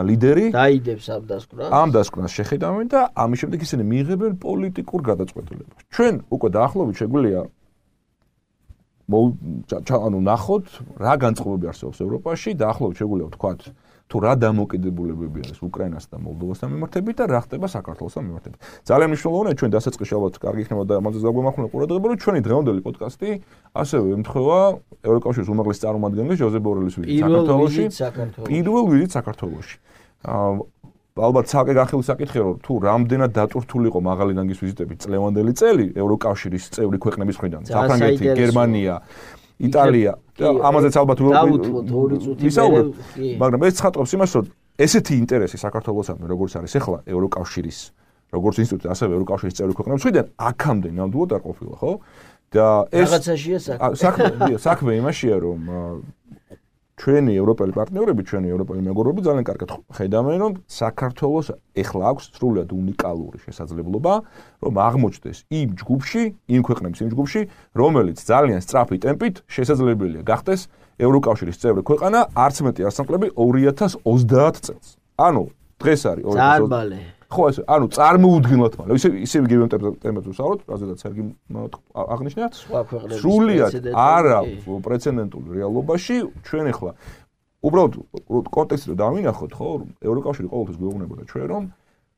ლიდერი დაიდებს ამ დასკვნას. ამ დასკვნას შეხედავენ და ამის შემდეგ ისინი მიიღებენ პოლიტიკურ გადაწყვეტილებას. ჩვენ უკვე დაახლოებით შეგვიძლია ნახოთ რა განწყობები არსებობს ევროპაში, დაახლოებით შეგვიძლია ვთქვათ თუ რა დამოკიდებულებები არის უკრაინასთან და მოლდოვასთან მიმართებით და რა ხდება საქართველოსთან მიმართებით. ძალიან მნიშვნელოვანია ჩვენ დასაწყისში ალბათ კარგი იქნება და ამაზე დაგვემახვილა ყურადღება, რომ ჩვენი დღევანდელი პოდკასტი ასევე ემთხვევა ევროკავშირის უმაღლეს წარმომადგენლის ჟოზეფ ბორელის ვიზიტს საქართველოში. პირველ ვიზიტს საქართველოში. ალბათ ცალკე განხილვის საკითხია, რომ თუ რამდენად დატვირთული იყო მაღალი რანგის ვიზიტები წლევანდელი წელი ევროკავშირის წევრი ქვეყნების მხრიდან, საფრანგეთი, გერმანია, იტალია, ამაზეც ალბათ ვისაუბრებ, მაგრამ ეს ცხადყოფს იმას, რომ ესეთი ინტერესი საქართველოსთან, როგორც არის ახლა ევროკავშირის, როგორც ინსტიტუტი, ასევე ევროკავშირის წევრი ქვეყნების მხრიდან, აქამდე ნამდვილად არ ყოფილა, ხო? და ეს რაღაცაშია საქმე იმაშია, რომ ჩვენი ევროპელი პარტნიორები, ჩვენი ევროპელი მეგობრები ძალიან კარგად ხედავენ, რომ საქართველოს ეხლა აქვს სრულად უნიკალური შესაძლებლობა, რომ აღმოჩნდეს იმ ჯგუფში, იმ ქვეყნების იმ ჯგუფში, რომელიც ძალიან სწრაფი ტემპით შესაძლებელია გახდეს ევროკავშირის წევრი ქვეყანა, არც მეტი არც ნაკლები 2030 წელს. ანუ დღეს არის 2020. ხო ეს ანუ წარმოუდგენლად მალე ისე იგივე ტემპებზე ვსაუბრობთ, რაზედაც სერგი აღნიშნა. სრულიად არა პრეცედენტული რეალობაში ჩვენ ახლა უბრალოდ კონტექსტი დავინახოთ, ხო, ევროკავშირი ყოველთვის გვეუბნებოდა ჩვენ, რომ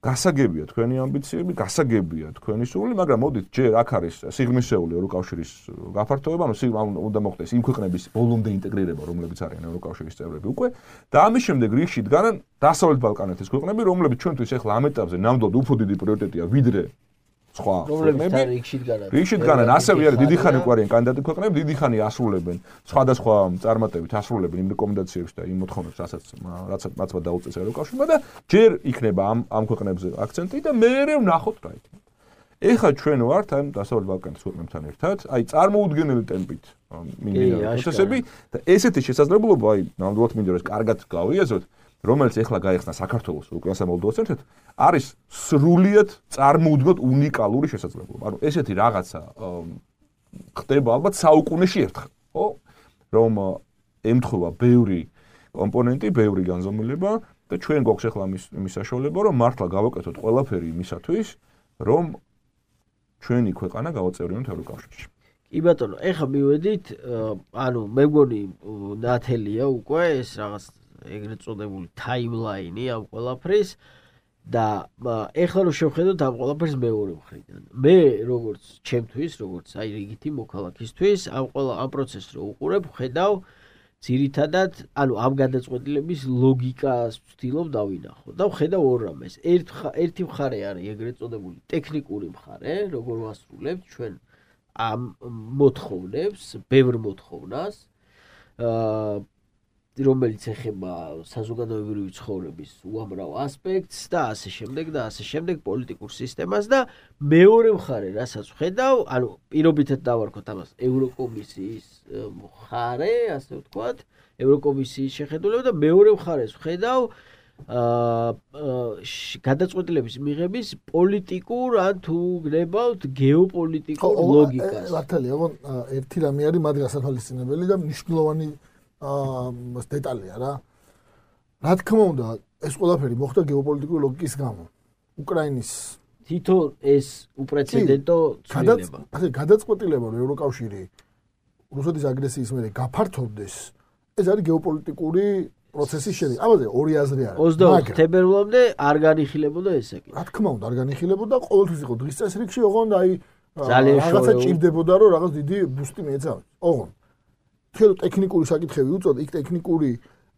გასაგებია თქვენი ამბიციები, გასაგებია თქვენი სურვილი, მაგრამ მოდით ჯერ აქ არის სიღრმისეული ევროკავშირის გაფართოება, ანუ უნდა მოხდეს იმ ქვეყნების ბოლომდე ინტეგრირება, რომლებიც არიან ევროკავშირის წევრები უკვე, და ამის შემდეგ რიგში დგანან დასავლეთ ბალკანეთის ქვეყნები, რომლებიც ჩვენთვის ახლა ამ ეტაპზე ნამდვილად უფრო დიდი პრიორიტეტია ვიდრე სხვა ქვეყნები. რიგში დგანან ასევე არის დიდი ხანი უკვე არიან კანდიდატი ქვეყნები, დიდი ხანი ასრულებენ სხვადასხვა წარმატებით ასრულებენ იმ რეკომენდაციებს და იმ მოთხოვნებს, რაც დაუწეს ევროკავშირმა და ჯერ იქნება ამ ქვეყნებზე აქცენტი და მერე ვნახოთ რა იქნება. ეხლა ჩვენ ვართ ამ დასავლეთ ბალკანეთის ქვეყნებთან ერთად, აი წარმოუდგენელი ტემპით მიმდინარე პროცესები და ესეთი შესაძლებლობა, აი ნამდვილად მინდა რომ ეს კარგად გავიაზროთ, რომელიც ეხლა გაიხსნა საქართველოს, უკრაინასა და მოლდოვას ერთად, არის სრულიად წარმოუდგენლად უნიკალური შესაძლებლობა. ანუ ესეთი რაღაცა ხდება ალბათ საუკუნეში ერთხელ, ხო? რომ ემთხვევა ბევრი კომპონენტი, ბევრი განზომილება და ჩვენ გვაქვს ეხლა იმის საშუალება, რომ მართლა გავაკეთოთ ყველაფერი იმისათვის, რომ ჩვენი ქვეყანა გავაწევრიანოთ ევროკავშირში. კი ბატონო, ეხლა მივედით, ანუ მე მგონი ნათელია უკვე ეს რაღაც ეგრეთ წოდებული ტაიმლაინი ამ ყველაფრის და ეხლა რომ შევხედოთ ამ ყველაფერს მეორე მხრიდან. მე როგორც ჩემთვის, როგორც აი რიგითი მოქალაქისთვის, ამ პროცესს რო უყურებ, ხედავ ძირითადად, ანუ ამ გადაწყვეტილების ლოგიკას ვცდილობ დავინახო და ვხედავ ორ რამეს. ერთი მხარე არის ეგრეთ წოდებული ტექნიკური მხარე, როგორ ვასრულებთ ჩვენ ამ მოთხოვნებს, ბევრ მოთხოვნას, რომელიც ეხება საზოგადოებრივი ცხოვრების უამრავ ასპექტს და ასე შემდეგ პოლიტიკურ სისტემას და მეორე მხარე, რასაც ვხედავ, ანუ პირობითად დავარქოთ ამას ევროკომისიის მხარე, ასე ვთქვათ, ევროკომისიის შეხედულება და მეორე მხარეს ვხედავ გადაწყვეტილების მიღების პოლიტიკურ ან თუ გნებავთ გეოპოლიტიკურ ლოგიკას. მართალია, ოღონ ერთი რამე არის მათ გასათვალისწინებელი და მნიშვნელოვანი დეტალია რა. რა თქმა უნდა, ეს ყველაფერი მოხდა გეოპოლიტიკური ლოგიკის გამო. უკრაინის თითო ეს უპრეცედენტო ცვლილება. გადაწყვეტილება, რომ ევროკავშირი რუსეთის აგრესიის მერე გაფართოვდეს, ეს არის გეოპოლიტიკური პროცესის შედეგი. ამაზე ორი აზრი არის. 22 თებერვლამდე არ განიხილებოდა ესე კი. რა თქმა უნდა, არ განიხილებოდა, ყოველთვის იყო დღის წესრიგში, ოღონდ აი რაღაცა ჭირდებოდა, რომ რაღაც დიდი ბუსტი მიეცავეს. ოღონდ თელო ტექნიკური საკითხები უწოდ, იქ ტექნიკური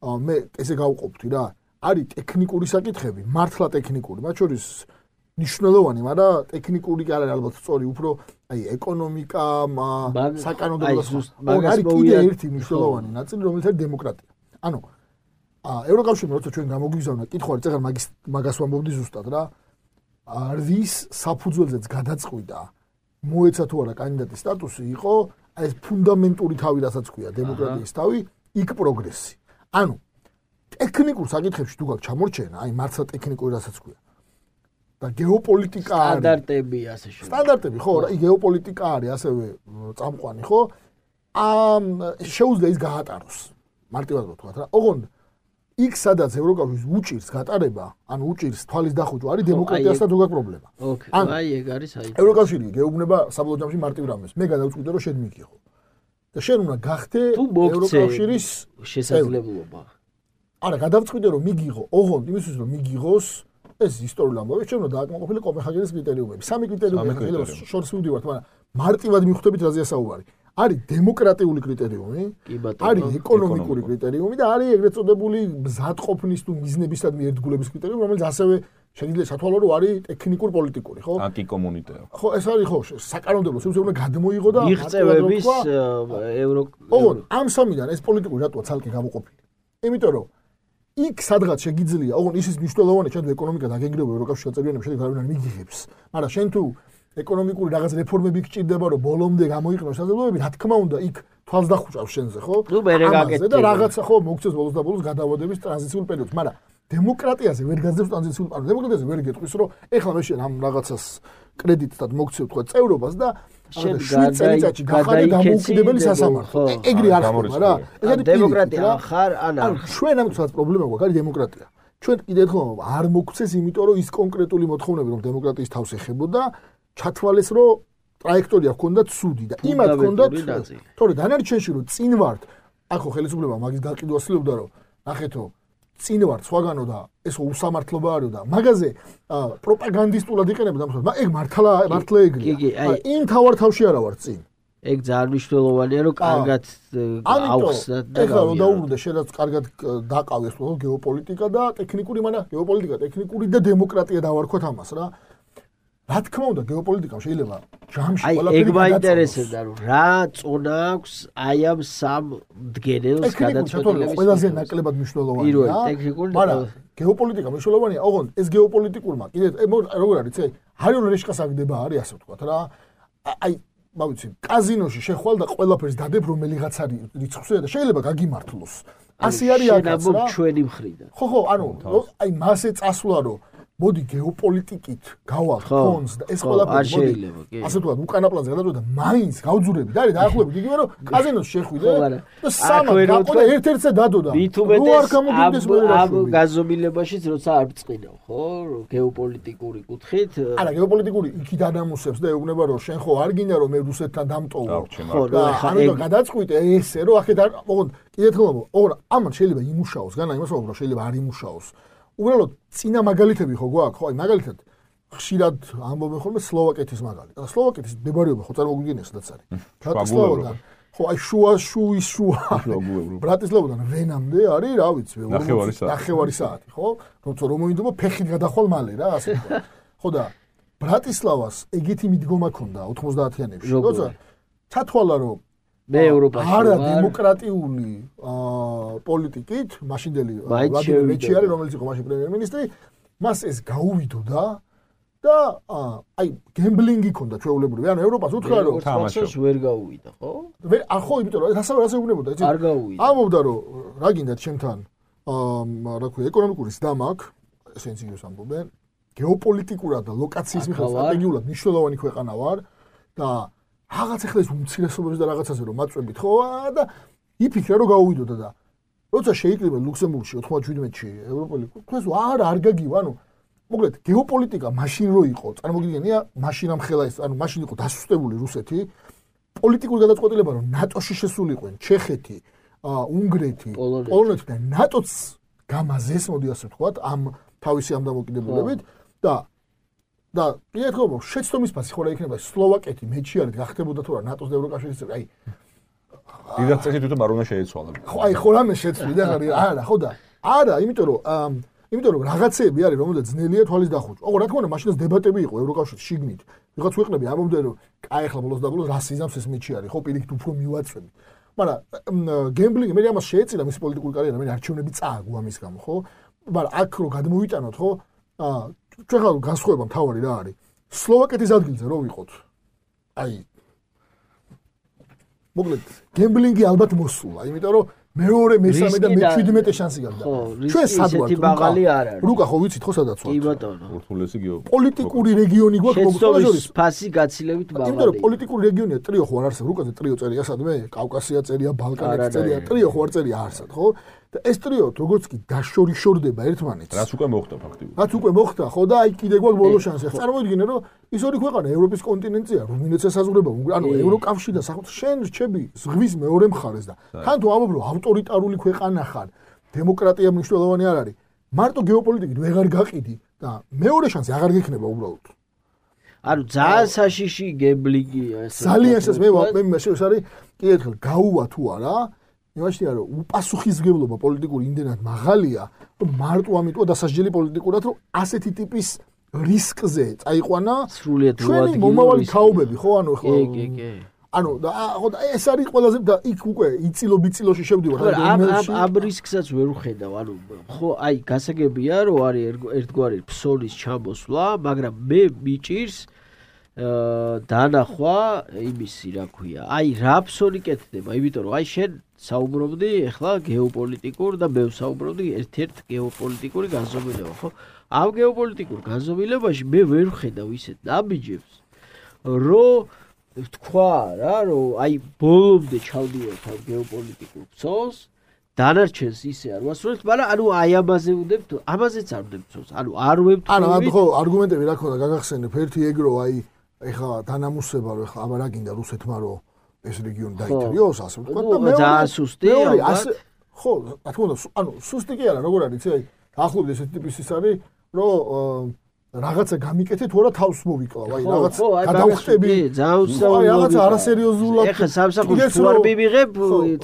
მე ესე გავყოფთი რა. არის ტექნიკური საკითხები, მართლა ტექნიკური, მათ შორის მნიშვნელოვანი, მაგრამ ტექნიკური კი არის ალბათ სწორი, უფრო აი ეკონომიკა, საკანონმდებლო არის კიდე ერთი მნიშვნელოვანი ნაწილი, რომელიც არის დემოკრატია. ანუ ევროკავშირი როცა ჩვენ გამოგვიგზავნა, კითხვა არის, წეგარ მაგას ვამბობდი ზუსტად რა. რის საფუძველზეც გადაწყვიტა მოეცა თუ არა კანდიდატის სტატუსი იყო ეს ფუნდამენტური თავი, რასაც ქვია დემოკრატიის თავი, იქ პროგრესი. ანუ ტექნიკურ საკითხებში თუ გაქვს ჩამორჩენა, აი მართლა ტექნიკური რასაც ქვია. და გეოპოლიტიკა არის სტანდარტები ასე შემდეგ. სტანდარტები ხო, აი გეოპოლიტიკა არის ასევე წამყვანი, ხო? შეუძლია ის გაატაროს. მარტივად ვთქვათ რა. ოღონდ იქ სადაც ევროკავშირის უჭირს გატარება, ანუ უჭირს თვალის დახუჭვა არის დემოკრატიასთან თუ გაქვს პრობლემა. აი ეგ არის აი. ევროკავშირი გეუბნება საბოლოო ჯამში მარტივ რამეს. მე გადავწყვიტე რომ შენ მიგიღო. და შენ უნდა გახდე ევროკავშირის შესაძლებლობა. არა, გადავწყვიტე რომ მიგიღო, ოღონდ იმისთვის რომ მიგიღოს ეს ისტორიული ამბავი, ჩვენ უნდა დააკმაყოფილო კოპენჰაგენის კრიტერიუმები. სამი კრიტერიუმი შორს ვიდივართ, მაგრამ მარტივად მიხვდებით რაზეა საუბარი. არის დემოკრატიული კრიტერიუმი, არის ეკონომიკური კრიტერიუმი და არის ეგრეთ წოდებული მზადყოფნის თუ მიზნებისადმი ერთგულების კრიტერიუმი, რომელიც ასევე შეიძლება სათვალო რომ არის ტექნიკურ პოლიტიკური, ხო? ანტიკომუნიტარი. ხო, ეს არის ხო, საკანონმდებლო სივრცე უნდა გადმოიღო და მიღწევების ამ სამიდან ეს პოლიტიკური რატოა ცალკე გამოყოფილი? იმიტომ რომ იქ სადღაც შეგიძლია, ოღონდ ისიც მნიშვნელოვანია, ჩვენ ეკონომიკა დაგეგმება ევროკავშირის შეწევრიანების შედეგად არ მიგიღებს. მაგრამ შენ თუ ეკონომიკური რაღაც რეფორმები გჭირდება, რომ ბოლომდე გამოიყენოს საზოგადოებები, რა თქმა უნდა, იქ თვალს დახუჭავს შენზე, ხო? ნუ მე რეგაკეთებ და რაღაცა ხო მოგწევს ბოლოს და ბოლოს გადავადების ტრანზიციულ პერიოდს, მაგრამ დემოკრატიაზე ვერ გაძლევს ტრანზიციულ პერიოდს. დემოკრატიაზე ვერ გეტყვის, რომ ეხლა მე შენ ამ რაღაცას კრედიტად მოგცევ თქვა წევრობას და შენ 7 წელიწადში გახარე დამოუკიდებელი სასამართლო. ეგრე არ ხდება რა. ეს არის დემოკრატია ხარ ან არ. ჩვენ ამცაც პრობლემა გვაქვს, არის დემოკრატია. ჩვენ კიდე ერთხელ არ მოგცეს, იმიტომ რომ ის კონკრეტული მოთხოვნები რომ დემოკრატიის თავს ეხებოდა, ჩათვალეს რომ ტრაექტორია ჰქონდათ ცუდი და იმათ ჰქონდათ. თორე დანარჩენში რომ წინ ვართ, ახო ხელისუფლება მაგის გაყიდვას ცდილობდა რომ ნახეთო წინ ვართ სხვაგანო და ეს უსამართლობა არისო და მაგაზე პროპაგანდისტულად იყენებდა ამას. ეგ მართლა ეგრეა. იმ თავარ თავში არა ვარ წინ. ეგ ძალიან მნიშვნელოვანია რომ კარგად აუხსნათ და ეხლა რომ დაუბრუნდა შენაც კარგად დაყავეს ხო გეოპოლიტიკა და ტექნიკური, მაგრამ გეოპოლიტიკა, ტექნიკური და დემოკრატია დავარქვათ ამას რა. რა თქმა უნდა გეოპოლიტიკამ შეიძლება ჯამში ყველაფერი ეგ მაინტერესებდა რომ რა წონა აქვს აი ამ სამ მდგენელს გადაწყვეტილების ყველაზე ნაკლებად მნიშვნელოვანია მაგრამ გეოპოლიტიკა მნიშვნელოვანია ოღონდ ეს გეოპოლიტიკურმა კიდე როგორ არის ეს ჰარიონ რეშკას აგდება არის ასე ვთქვათ რა აი მოვიცი კაზინოში შეხვალ და ყველაფერს დადებ რომელიღაც არის რიცხვზე და შეიძლება გაგიმართლოს ასე არის აქაც რა ჩვენი მხრიდან ხო ანუ აი მასე წასვლა რომ მოდი გეოპოლიტიკით გავალ ფონს და ეს ყველაფერი მოდი ასე ვთქვათ უკანა პლანზე გადავიდა მაინც გავძურები და არის დაახლოებით იგივე რომ კაზინოს შეხვიდე და სამად გაყო და ერთ-ერთზე დადო და ამ გაზომილებაშიც როცა არ ბწყინავ ხო გეოპოლიტიკური კუთხით არა გეოპოლიტიკური იქით ადამიანებს და ეუბნება რომ შენ ხო არ გინდა რომ მე რუსეთთან დამტოვო ხო ანუ გადაწყვიტე ესე რომ აქეთ არ ოღონდ კიდე თქმა უნდა ამან შეიძლება იმუშაოს განა იმას ვამბობ რომ შეიძლება არ იმუშაოს უბრალოდ წინა მაგალითები ხო გვაქვს ხო აი მაგალითად ხშირად ამბობენ ხოლმე სლოვაკეთის მაგალითი და სლოვაკეთის მდებარეობა ხო წარმოგვიდგენისაც არის ბრატისლავადან ხო აი შუა ბრატისლავადან ვენამდე არის რა ვიცი ნახევარი საათი ხო როცა რომ მოინდობა ფეხით გადახვალ მალე რა ასე ხო და ბრატისლავას ეგეთი მიდგომა ქონდა 90-იანებში როცა ჩათვალა რომ მე ევროპაში არა დემოკრატიული პოლიტიკით მაშინდელი ვლადიმერ მეჩიარი რომელიც იყო მაშინ პრემიერ-მინისტრი მას ეს გაუვიდოდა და აი გემბლინგი ქონდა ჩვეულებრივი ანუ ევროპას უთხრა რომ თამაშობს ვერ გაუვიდა ხო ხო იმიტომ რომ ასე უნებოდა იცი არ გაუვიდა ამბობდა რომ რა გინდათ ჩემთან რა ქვია ეკონომიკური სდა მაქვს ესენც იგივეს ამბობენ გეოპოლიტიკურად და ლოკაციის მიხედვით სტრატეგიულად მნიშვნელოვანი ქვეყანა ვარ და რაღაც ახლა ეს უმცირესობებს და რაღაცაზე რომ მაწვევით ხო და იფიქრა რომ გაუვიდოდა და როცა შეიკრიბა ლუქსემბურგში 97-ში ევროპელი თქვენს არ გაგივა ანუ მოკლედ გეოპოლიტიკა მაშინ რო იყო წარმოგიდგენია მაშინ ამ ხელა ეს ანუ მაშინ იყო დასუსტებული რუსეთი პოლიტიკური გადაწყვეტილება რომ ნატოში შესულიყვნენ ჩეხეთი უნგრეთი პოლონეთი და ნატოც გამაზეს მოდი ასე ვთქვათ ამ თავისი ამ დამოკიდებულებით და პირიქით შეცდომის ფასი ხო რა იქნება სლოვაკეთი მეჩიარით გახდებოდა თუ რა ნატოს და ევროკავშირის წევრი აი დიდად წესი თვითონ არ უნდა შეეცვალა ხო აი ხო რამე შეცვლი და არა ხო და არა იმიტომ რომ რაღაცეები არის რომელზეც ძნელია თვალის დახუჭვა ოღონდ რა თქმა უნდა მაშინაც დებატები იყო ევროკავშირის შიგნით ვიღაც ქვეყნები ამბობდნენ რომ კაი ახლა ბოლოს და ბოლოს რასიზმს ეს მეჩიარი ხო პირიქით უფრო მივაწვევი მაგრამ გემბლინგი მე ამას შეეწირა მისი პოლიტიკური კარიერა მე არჩევნები წააგო ამის გამო ხო მაგრამ აქ რო გადმოვიტანოთ ხო ჩვენ ხარ განსხვავება მთავარი რა არის სლოვაკეთის ადგილზე რო ვიყოთ აი მოკლედ გემბლინგი ალბათ მოსულა იმიტომ რომ მეორე მესამე და მე-17 შანსი გაქვს ჩვენ სად ვართ რუკა ხო ვიცით ხო სადაც ვართ კი ბატონო ურთულესი პოლიტიკური რეგიონი გვაქვს მოგწოდოს ფასი გაცილებით მაღალი იმიტომ რომ პოლიტიკური რეგიონია ტრიო ხო არ არსებობს რუკაზე ტრიო წერია სადმე კავკასია წერია ბალკანეთი წერია ტრიო ხო არ წერია არსად ხო და ეს ტრიო როგორც კი დაშორიშორდება ერთმანეთს რაც უკვე მოხდა ფაქტიურად რაც უკვე მოხდა ხო და აი კიდე გვაქვს ბოლო შანსი წარმოიდგინე რომ ის ორი ქვეყანა ევროპის კონტინენტია რუმინეთს ესაზღვრება ანუ ევროკავშირი და შენ რჩები ზღვის მეორე მხარეს და თან თუ ამობ რომ ავტორიტარული ქვეყანა ხარ დემოკრატია მნიშვნელოვანი არ არის მარტო გეოპოლიტიკით ვეღარ გაყიდი და მეორე შანსი აღარ გექნება უბრალოდ ანუ ძალიან საშიში გებლიგია ეს. ძალიან მე ეს არის კიდევ ერთხელ გაუვა თუ არა? იმაშია რომ უპასუხისმგებლობა პოლიტიკური იმდენად მაღალია, რომ მარტო ამიტომა დასასჯელი პოლიტიკურად, რომ ასეთი ტიპის რისკზე წაიყვანა ჩვენი მომავალი თაობები, ხო, ანუ ხო. კი. ანუ და ეს არის ყველაზე და იქ უკვე იწილო-ბიწილოში შევდივარ ამ რისკსაც ვერ ვხედავ, ანუ ხო, აი გასაგებია რომ არის ერთგვარი ფსოლის ჩამოსვლა, მაგრამ მე მიჭირს დანახვა იმისი, რა ქვია, აი რა ფსოლი კეთდება, იმიტომ რომ აი შენ საუბრობდი ახლა გეოპოლიტიკურ და მე ვსაუბრობდი ერთ-ერთ გეოპოლიტიკური განზომილება, ხო? ამ გეოპოლიტიკურ განზომილებაში მე ვერ ვხედავ ისეთ ნაბიჯებს, რომ თქვა რა, რომ აი ბოლომდე ჩავდივართ ამ გეოპოლიტიკურ ფსოლს, დანარჩენს ისე არ ვასრულებთ, მაგრამ ანუ აი ამაზე ვდებთ, ამაზეც არ ვდებთ ფსოლს, ანუ არ ვებთ. ანუ ხო, არგუმენტები რა ქონდა გაგახსენებ, ერთი ეგრო აი ეხლა დანამუსება რომ ეხლა აბა რა გინდა რუსეთმა რომ ეს რეგიონი დაითრიოს, ასე ვთქვა და მეორე ძალიან სუსტი ასე ხო, რა თქმა უნდა, ანუ სუსტი კი არა, როგორ არის, იცი, აი დაახლოებით ესეთი ტიპის ის არის, რომ რაღაცა გამიკეთე თუ არა თავს მოვიკლავ, აი რაღაც გადავხტები, აი რაღაცა არასერიოზულად. ეხლა სამსახურში თუ არ მივიღებ,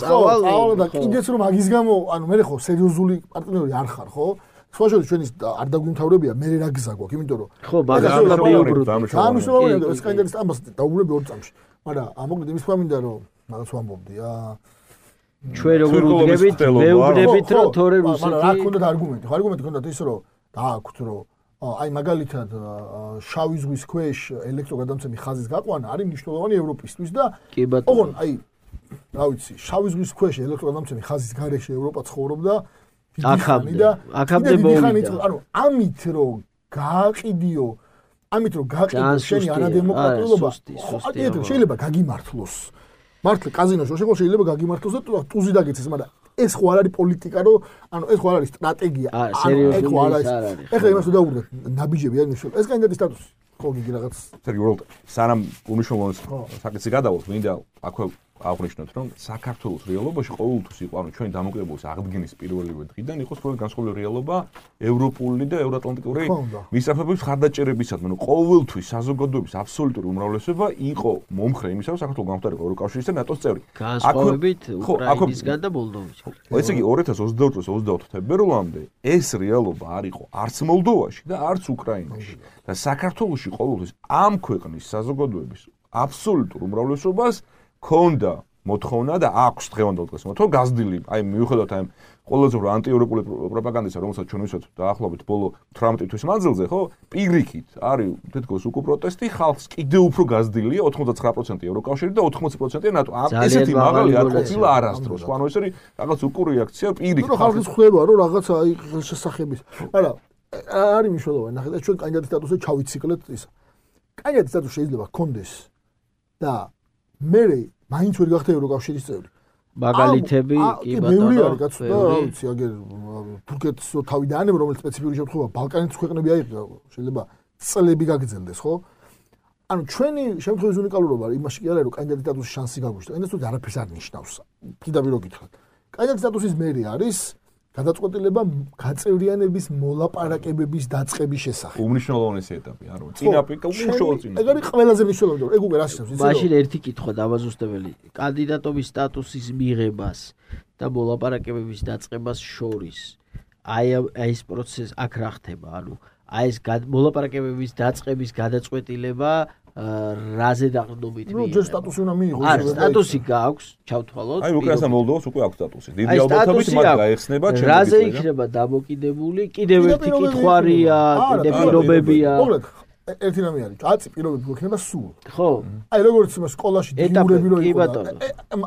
წავალ და კიდეც რომ მაგის გამო, ანუ მე ხო სერიოზული პარტნიორი არ ხარ, ხო? სხვაშორის ჩვენი არ დაგვიმთავრებია, მე რა გზა გვაქვს, იმიტომ რომ ხო, ბაგაზოლა მიუბრუნდ. ამისოვანია, ეს კანდიდატის ამას დაუბრუნებ ორ წამში. მაგრამ ამოკლედ იმის თქმა მინდა რომ რაღაც ვამბობდი, ჩვენ როგორ ვუდგებით, მე ვუგდებით რომ თორე რუსეთი. მაგრამ რა ქონდათ არგუმენტი? ხო, არგუმენტი ქონდათ ის რომ დააქვთ რომ აი მაგალითად შავი ზღვის ქვეშ ელექტროგადამცემი ხაზის გაყვანა არის მნიშვნელოვანი ევროპისთვის და ოღონდ აი რა ვიცი, შავი ზღვის ქვეშ ელექტროგადამცემი ხაზის გარეშე ევროპა ცხოვრობდა აქამდე მოვიდა. ანუ ამით რომ გააყიდიო, ამით რომ გააყიდო შენი არადემოკრატიულობა, შეიძლება გაგიმართლოს. მართლა კაზინოში შეხო შეიძლება გაგიმართლოს და ტუზი დაგეცეს, მაგრამ ეს ხო არ არის პოლიტიკა, რომ ანუ ეს ხო არ არის სტრატეგია. ეს ხო არ არის. ეხლა იმას ვდაუბრუნდეთ, ნაბიჯები არ ნიშნავს. ეს კანდიდატის სტატუსი ხო გიგი რაღაც. სერგი უბრალოდ სანამ უნიშნულოვანს საკითხი გადავალთ, მინდა აქვე აღნიშნოთ, რომ საქართველოს რეალობაში ყოველთვის იყო, ანუ ჩვენი დამოკიდებულის აღდგენის პირველივე დღიდან იყო სწორედ განსხვავებული რეალობა ევროპული და ევროატლანტიკური მისწრაფებების ხარდაჭერებისადმი. ანუ ყოველთვის საზოგადოების აბსოლუტური უმრავლესობა იყო მომხრე იმისა, რომ საქართველოს გამხდარიყო ევროკავშირის და ნატოს წევრი. განსხვავებით უკრაინისგან და მოლდოვისგან. ესე იგი 2022-24 თებერვლამდე ეს რეალობა არ იყო არც მოლდოვაში და არც უკრაინაში. და საქართველოში ყოველთვის ამ ქვეყნის საზოგადოების აბსოლუტურ უმრავლესობას ქონდა მოთხოვნა და აქვს დღევანდელ დღეს მოთხოვნა გაზრდილი, აი მიუხედავად ამ ყველაზე ანტიევროპული პროპაგანდისა, რომელსაც ჩვენ ვისვათ დაახლოებით ბოლო 18 თვის მანძილზე, ხო, პირიქით არის თითქოს უკვე პროტესტი, ხალხს კიდევ უფრო გაზრდილია 99% ევროკავშირი და 80% ნატო. ესეთი მაღალი არ ყოფილა არასდროს. ანუ ეს არის რაღაც უკუ რეაქცია პირიქით. ხალხის ხვდება, რომ რაღაცა აი შესახების. არა, არის მნიშვნელოვანი, ნახეთ, ჩვენ კანდიდატის სტატუსზე ჩავიციკლეთ ისა. კანდიდატის სტატუსი შეიძლება გქონდეს და მე მაინც ვერ გახდა ევროკავშირის წევრი. მაგალითები კი ბატონო. ბევრი არის კაცო და რა ვიცი, აგერ თურქეთს თავი დაანებო, რომელიც სპეციფიკური შემთხვევა ბალკანეთის ქვეყნები აიღო, შეიძლება წლები გაგრძელდეს, ხო? ანუ ჩვენი შემთხვევის უნიკალურობა იმაში კი არა, რომ კანდიდატის სტატუსის შანსი გაგვიშვა. ეს თვითონ არაფერს არ ნიშნავს. პირდაპირ გითხრათ. კანდიდატის სტატუსის მერი არის გადაწყვეტილება გაწევრიანების მოლაპარაკებების დაწყების შესახებ. უმნიშვნელოვანესი ეტაპი, არა, წინა პიკა უშუალოდ წინა. ეგ არის ყველაზე მნიშვნელოვანი, ეგ უკვე რას ნიშნავს, იცი? მაშინ ერთი კითხვა დამაზუსტებელი. კანდიდატობის სტატუსის მიღებას და მოლაპარაკებების დაწყებას შორის აი ეს პროცესი აქ რა ხდება? ანუ აი ეს მოლაპარაკებების დაწყების გადაწყვეტილება რაზე დაყრდნობით მიიღება? ნუ ჯერ სტატუსი უნდა მიიღოს. არა, სტატუსი გააქვს, ჩავთვალოთ. აი უკრაინას და მოლდოვას უკვე აქვს სტატუსი. დიდი ალბათობით მათ გაეხსნება ჩემს. რაზე იქნება დამოკიდებული? კიდევ ერთი კითხვარია, კიდე პირობებია. მოგლეთ, ერთი რამე არის. კაცი პირობები გვექნება სულ. ხო. აი როგორც სკოლაში დიურები რო იყო.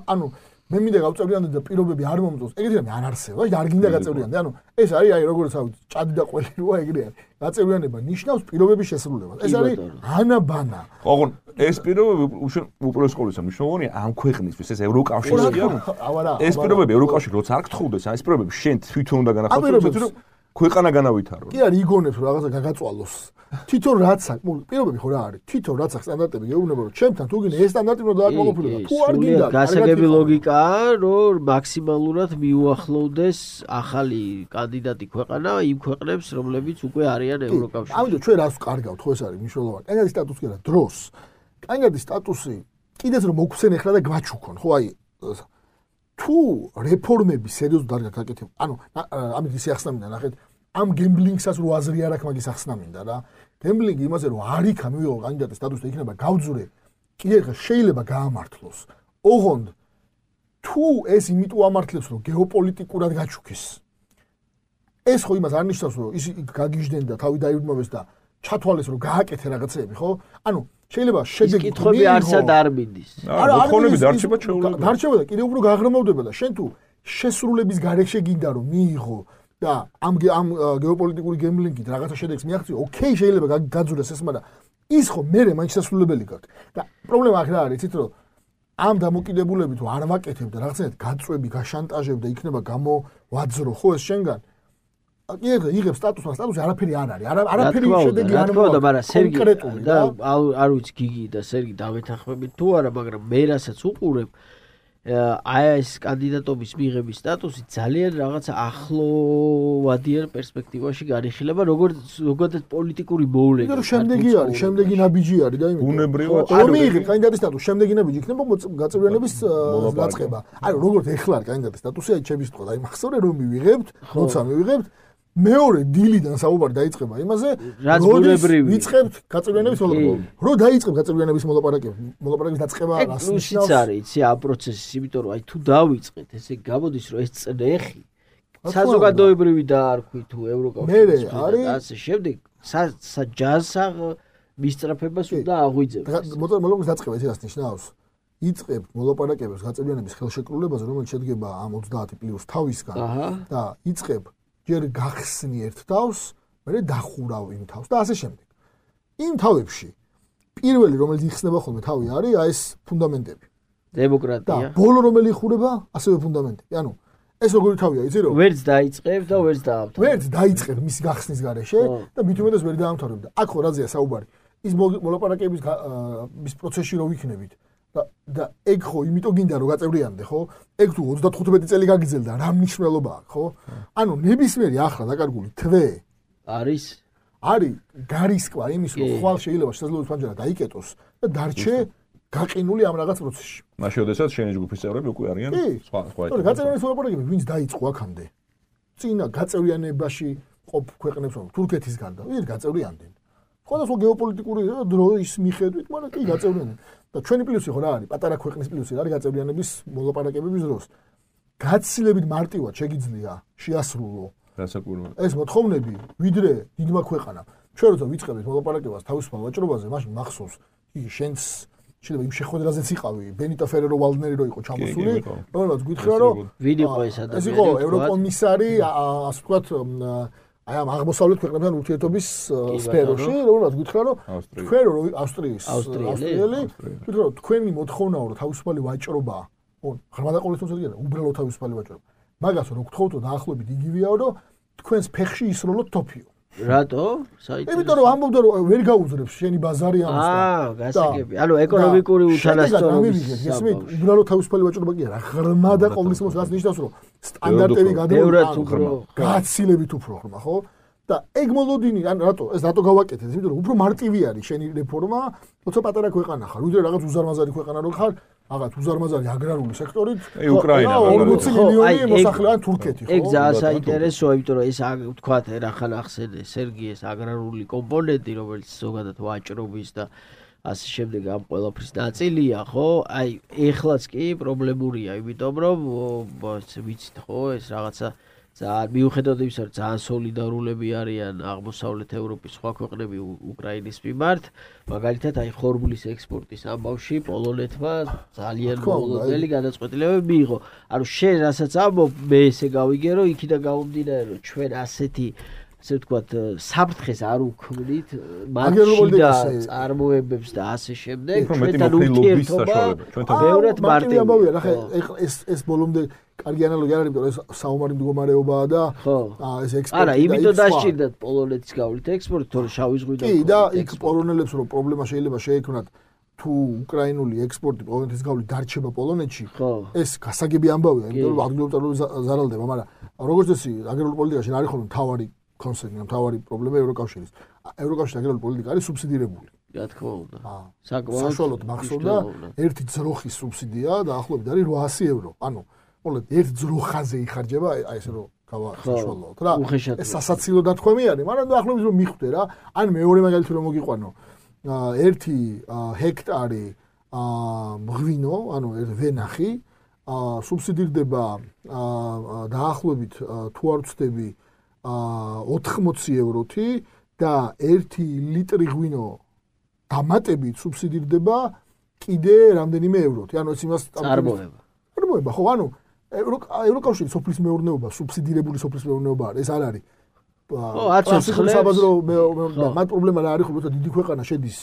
ანუ მე მინდა გავწევრიანდე და პირობები არ მომწონს. ეგეთი რამე არ არსებობს, არ გინდა გაწევრიანდე. ანუ ეს არის აი როგორც ავი ჭადი და ყველი როა ეგრე არის. გაწევრიანება ნიშნავს პირობების შესრულებას. ეს არის ანაბანა. ოღონ ეს პირობები უპირველეს ყოვლისა მნიშვნელოვანია ამ ქვეყნისთვის, ეს ევროკავშირია. ეს პირობები ევროკავშირი როცა არ გთხოვდეს, ეს პირობები შენ თვითონ უნდა განახორციელოს, ქვეყანა განავითარო. კი არ იგონებს რომ რაღაცა გაგაწვალოს. თვითონ რაც აქვს, პირობები ხო რა არის? თვითონ რაც აქვს სტანდარტები გეუბნება რომ ჩემთან თუ გინდა ეს სტანდარტი უნდა დააკმაყოფილო. თუ არ გინდა, გასაგები ლოგიკაა, რომ მაქსიმალურად მიუახლოვდეს ახალი კანდიდატი ქვეყანა იმ ქვეყნებს, რომლებიც უკვე არიან ევროკავშირში. ამიტომ ჩვენ რას ვკარგავთ, ხო ეს არის მნიშვნელოვანი. კანდიდატის სტატუსი კი არა, დროს. კანდიდატის სტატუსი კიდეც რომ მოგვცენ ახლა და გვაჩუქონ, ხო აი თუ რეფორმები სერიოზულად არ გაკეთებ, ანუ ამით ისე ახსნამინდა ნახეთ ამ გემბლინგსაც რო აზრი არ აქვს მაგის ახსნამინდა რა. გემბლინგი იმაზე რომ არ იქა მივიღო კანდიდატის სტატუსი და იქნება გავძურე, კიდე ხა შეიძლება გაამართლოს. ოღონდ თუ ეს იმიტომ ამართლებს რომ გეოპოლიტიკურად გაჩუქეს. ეს ხო იმას არ ნიშნავს რომ ის გაგიჟდნენ და თავი დაიბრმავეს და ჩათვალეს რომ გააკეთე რაღაცები, ხო? ანუ შეიძლება შედეგი კითხვები არსად არ მიდის. არა, მოთხოვნები დარჩება ჩვეულებრივ. დარჩება და კიდევ უფრო გაღრმავდება და შენ თუ შესრულების გარეშე გინდა რომ მიიღო და ამ გეოპოლიტიკური გემბლინგით რაღაცა შედეგს მიაღწიო, ოკეი, შეიძლება გაძურეს ეს, მაგრამ ის ხო მერე მაინც შესრულებელი გაქვს. და პრობლემა აქ რა არის, იცით რომ ამ დამოკიდებულებით თუ არ ვაკეთებ და რაღაცნაირად გაწვევი, გაშანტაჟებ და იქნება გამოვაძრო ხო ეს შენგან იღებს სტატუსს, მაგრამ სტატუსი არაფერი არ არის. არაფერი შედეგი არ მოაქვს, მაგრამ სერგი და არ ვიცი გიგი და სერგი დავეთანხმებით თუ არა, მაგრამ მე რასაც უყურებ აი ეს კანდიდატობის მიღების სტატუსი ძალიან რაღაცა ახლოვადიან პერსპექტივაში განიხილება, როგორც პოლიტიკური მოვლენა. იმიტომ რომ შემდეგი არის, შემდეგი ნაბიჯი არის და იმიტომ. ბუნებრივად რომ მიიღებ კანდიდატის სტატუსს, შემდეგი ნაბიჯი იქნება გაწევრიანების დაწყება. აი როგორც ეხლა არის კანდიდატის სტატუსი, აი ჩემი სიტყვა, აი მახსოვრე რომ მივიღებთ, როცა მივიღებთ მეორე დილიდან საუბარი დაიწყება იმაზე, როდის ვიწყებთ გაწევრიანების მოლაპარაკებებს. რო დაიწყებ გაწევრიანების მოლაპარაკების დაწყება რას ნიშნავს? არის, იცი, ამ პროცესის, იმიტომ რომ აი თუ დავიწყეთ, ესე გამოდის რომ ეს წნეხი საზოგადოებრივი დაარქვი თუ ევროკავშირის და ასე შემდეგ, საჯანსაღ მისწრაფებას უნდა აღვიძებს. მოლაპარაკების დაწყება ისე რას ნიშნავს? იწყებთ მოლაპარაკებებს გაწევრიანების ხელშეკრულებაზე, რომელიც შედგება ამ 30 პლუს თავისგან და იწყებ ჯერ გახსნი ერთ თავს, მერე დახურავ იმ თავს და ასე შემდეგ. იმ თავებში პირველი რომელიც იხსნება ხოლმე თავი არის აი ეს ფუნდამენტები. დემოკრატია. და ბოლო რომელი იხურება, ასევე ფუნდამენტები. ანუ ეს როგორი თავია, იცი რომ ვერც დაიწყებ და ვერც დაამთავრებ. ვერც დაიწყებ მის გახსნის გარეშე და მით უმეტეს ვერ დაამთავრებ და აქ ხო რაზეა საუბარი. ის მოლაპარაკების მის პროცესში რო ვიქნებით და ეგ ხო იმიტომ გინდა რომ გაწევრიანდე, ხო? ეგ თუ 35 წელი გაგიძელდა, რა მნიშვნელობა აქვს, ხო? ანუ ნებისმიერი ახლა დაკარგული თვე არის გარისკვა იმის, რომ ხვალ შეიძლება შესაძლებლობის ფანჯარა დაიკეტოს და დარჩე გაყინული ამ რაღაც პროცესში. მაშინ შესაძლოა შენი ჯგუფის წევრები უკვე არიან სხვა. თორე გაწევრიანების მოლაპარაკებები ვინც დაიწყო აქამდე? წინა გაწევრიანებაში ყოფ ქვეყნებს რომ თურქეთის გარდა, ვინ გაწევრიანდნენ? სხვადასხვა გეოპოლიტიკური დროის მიხედვით, მაგრამ კი გაწევრიანდნენ. და ჩვენი პლუსი ხო რა არის? პატარა ქვეყნის პლუსი არის გაწევრიანების მოლაპარაკებების დროს. გაცილებით მარტივად შეგიძლია შეასრულო რასაკვირველია. ეს მოთხოვნები, ვიდრე დიდმა ქვეყანამ. ჩვენ როცა ვიწყებთ მოლაპარაკებას თავისუფალ ვაჭრობაზე, მაშინ მახსოვს, იგი შენს შეიძლება იმ შეხვედრაზეც იყავი, ბენიტო ფერერო ვალდნერი რო იყო ჩამოსული, რომელსაც გითხრა რომ ვინ იყო ეს ადამიანი? ეს იყო ევროკომისარი, ასე ვთქვათ, აი ამ აღმოსავლეთ ქვეყნებთან ურთიერთობის სფეროში, რომელსაც გითხრა რომ თქვენ რო ავსტრიელი, გითხრა რომ თქვენი მოთხოვნაა რომ თავისუფალი ვაჭრობა, ღრმა დაყოლისმოსილი არა, უბრალოდ თავისუფალი ვაჭრობა. მაგას რო გთხოვთო დაახლოებით იგივეაო რომ თქვენს ფეხში ისროლოთ თოფიო. რატო? საერთოდ. იმიტომ რომ ამბობდა რომ ვერ გაუძრებს შენი ბაზარი ამას და გასაგები. ანუ ეკონომიკური უთანასწორობის ისმით უბრალოდ თავისუფალი ვაჭრობა კი არა, ღრმა დაყოლისმოსილი რაც ნიშნავს რომ სტანდარტები გაცილებით უფრო ღრმა, ხო? და ეგ მოლოდინი, ან რატო გავაკეთეთ? იმიტომ რომ უფრო მარტივი არის შენი რეფორმა, როცა პატარა ქვეყანა ხარ, ვიდრე რაღაც უზარმაზარი ქვეყანა რო ხარ, რაღაც უზარმაზარი აგრარული სექტორით. უკრაინა 40 მილიონი მოსახლე ან თურქეთი, ხო? ეგ ძალიან საინტერესოა, იმიტომ რომ ეს ვთქვათ, ერახან ახსენე სერგი ეს აგრარული კომპონენტი, რომელიც ზოგადად ვაჭრობის და ასე შემდეგ ამ ყველაფრის ნაწილია, ხო? აი, ეხლაც კი პრობლემურია, იმიტომ რომ ვიცით, ხო, ეს რაღაცა ძალიან მიუხედავად იმისა, რომ ძალიან სოლიდარულები არიან აღმოსავლეთ ევროპის სხვა ქვეყნები უკრაინის მიმართ, მაგალითად აი ხორბლის ექსპორტის ამბავში პოლონეთმა ძალიან მოლოდელი გადაწყვეტილებები მიიღო. ანუ შენ რასაც ამბობ, მე ესე გავიგე, რომ იქიდან გამომდინარე, რომ ჩვენ ასეთი ასე ვთქვათ, საფრთხეს არ უქმნით მათში და წარმოებებს და ასე შემდეგ, ჩვენთან ურთიერთობა ბევრად მარტივია. ახლა ეს ბოლომდე კარგი ანალოგია არის, იმიტომ რომ ეს საომარი მდგომარეობაა და ეს ექსპორტი. არა, იმიტომ დასჭირდათ პოლონეთის გავლით ექსპორტი, თორე შავი ზღვიდან. კი, და იქ პოლონელებს რომ პრობლემა შეიძლება შეექმნათ თუ უკრაინული ექსპორტი პოლონეთის გავლით დარჩება პოლონეთში, ეს გასაგები ამბავია, იმიტომ რომ ადგილობრივი წარმოება ზარალდება, მაგრამ როგორც წესი, აგრარული პოლიტიკაში არ არის ხოლმე მთავარი კონსერნი, მთავარი პრობლემა ევროკავშირის. ევროკავშირის აგრარული პოლიტიკა არის სუბსიდირებული. რა თქმა უნდა. საშუალოდ მახსოვდა ერთი ძროხის სუბსიდია დაახლოებით არის 800 евро. ანუ მოკლედ ერთ ძროხაზე იხარჯება, აი ესე რომ გავასაშუალოთ რა. ეს სასაცილო დათქვამი არის, მაგრამ დაახლოებით რომ მიხვდე რა. ან მეორე მაგალითი რომ მოგიყვანო, 1 ჰექტარი მღვინო, ანუ ვენახი, სუბსიდირდება დაახლოებით თუ არ ვცდები 80 ევროთი და 1 ლიტრი ღვინო დამატებით სუბსიდირდება კიდე რამდენიმე ევროთი. ანუ ეს იმას წარმოება, ხო, ანუ ევროკავშირის სოფლის მეურნეობა, სუბსიდირებული სოფლის მეურნეობა არის, ეს არ არის. საბაზრო მეურნეობა, მათ პრობლემა რა არის, ხო, როცა დიდი ქვეყანა შედის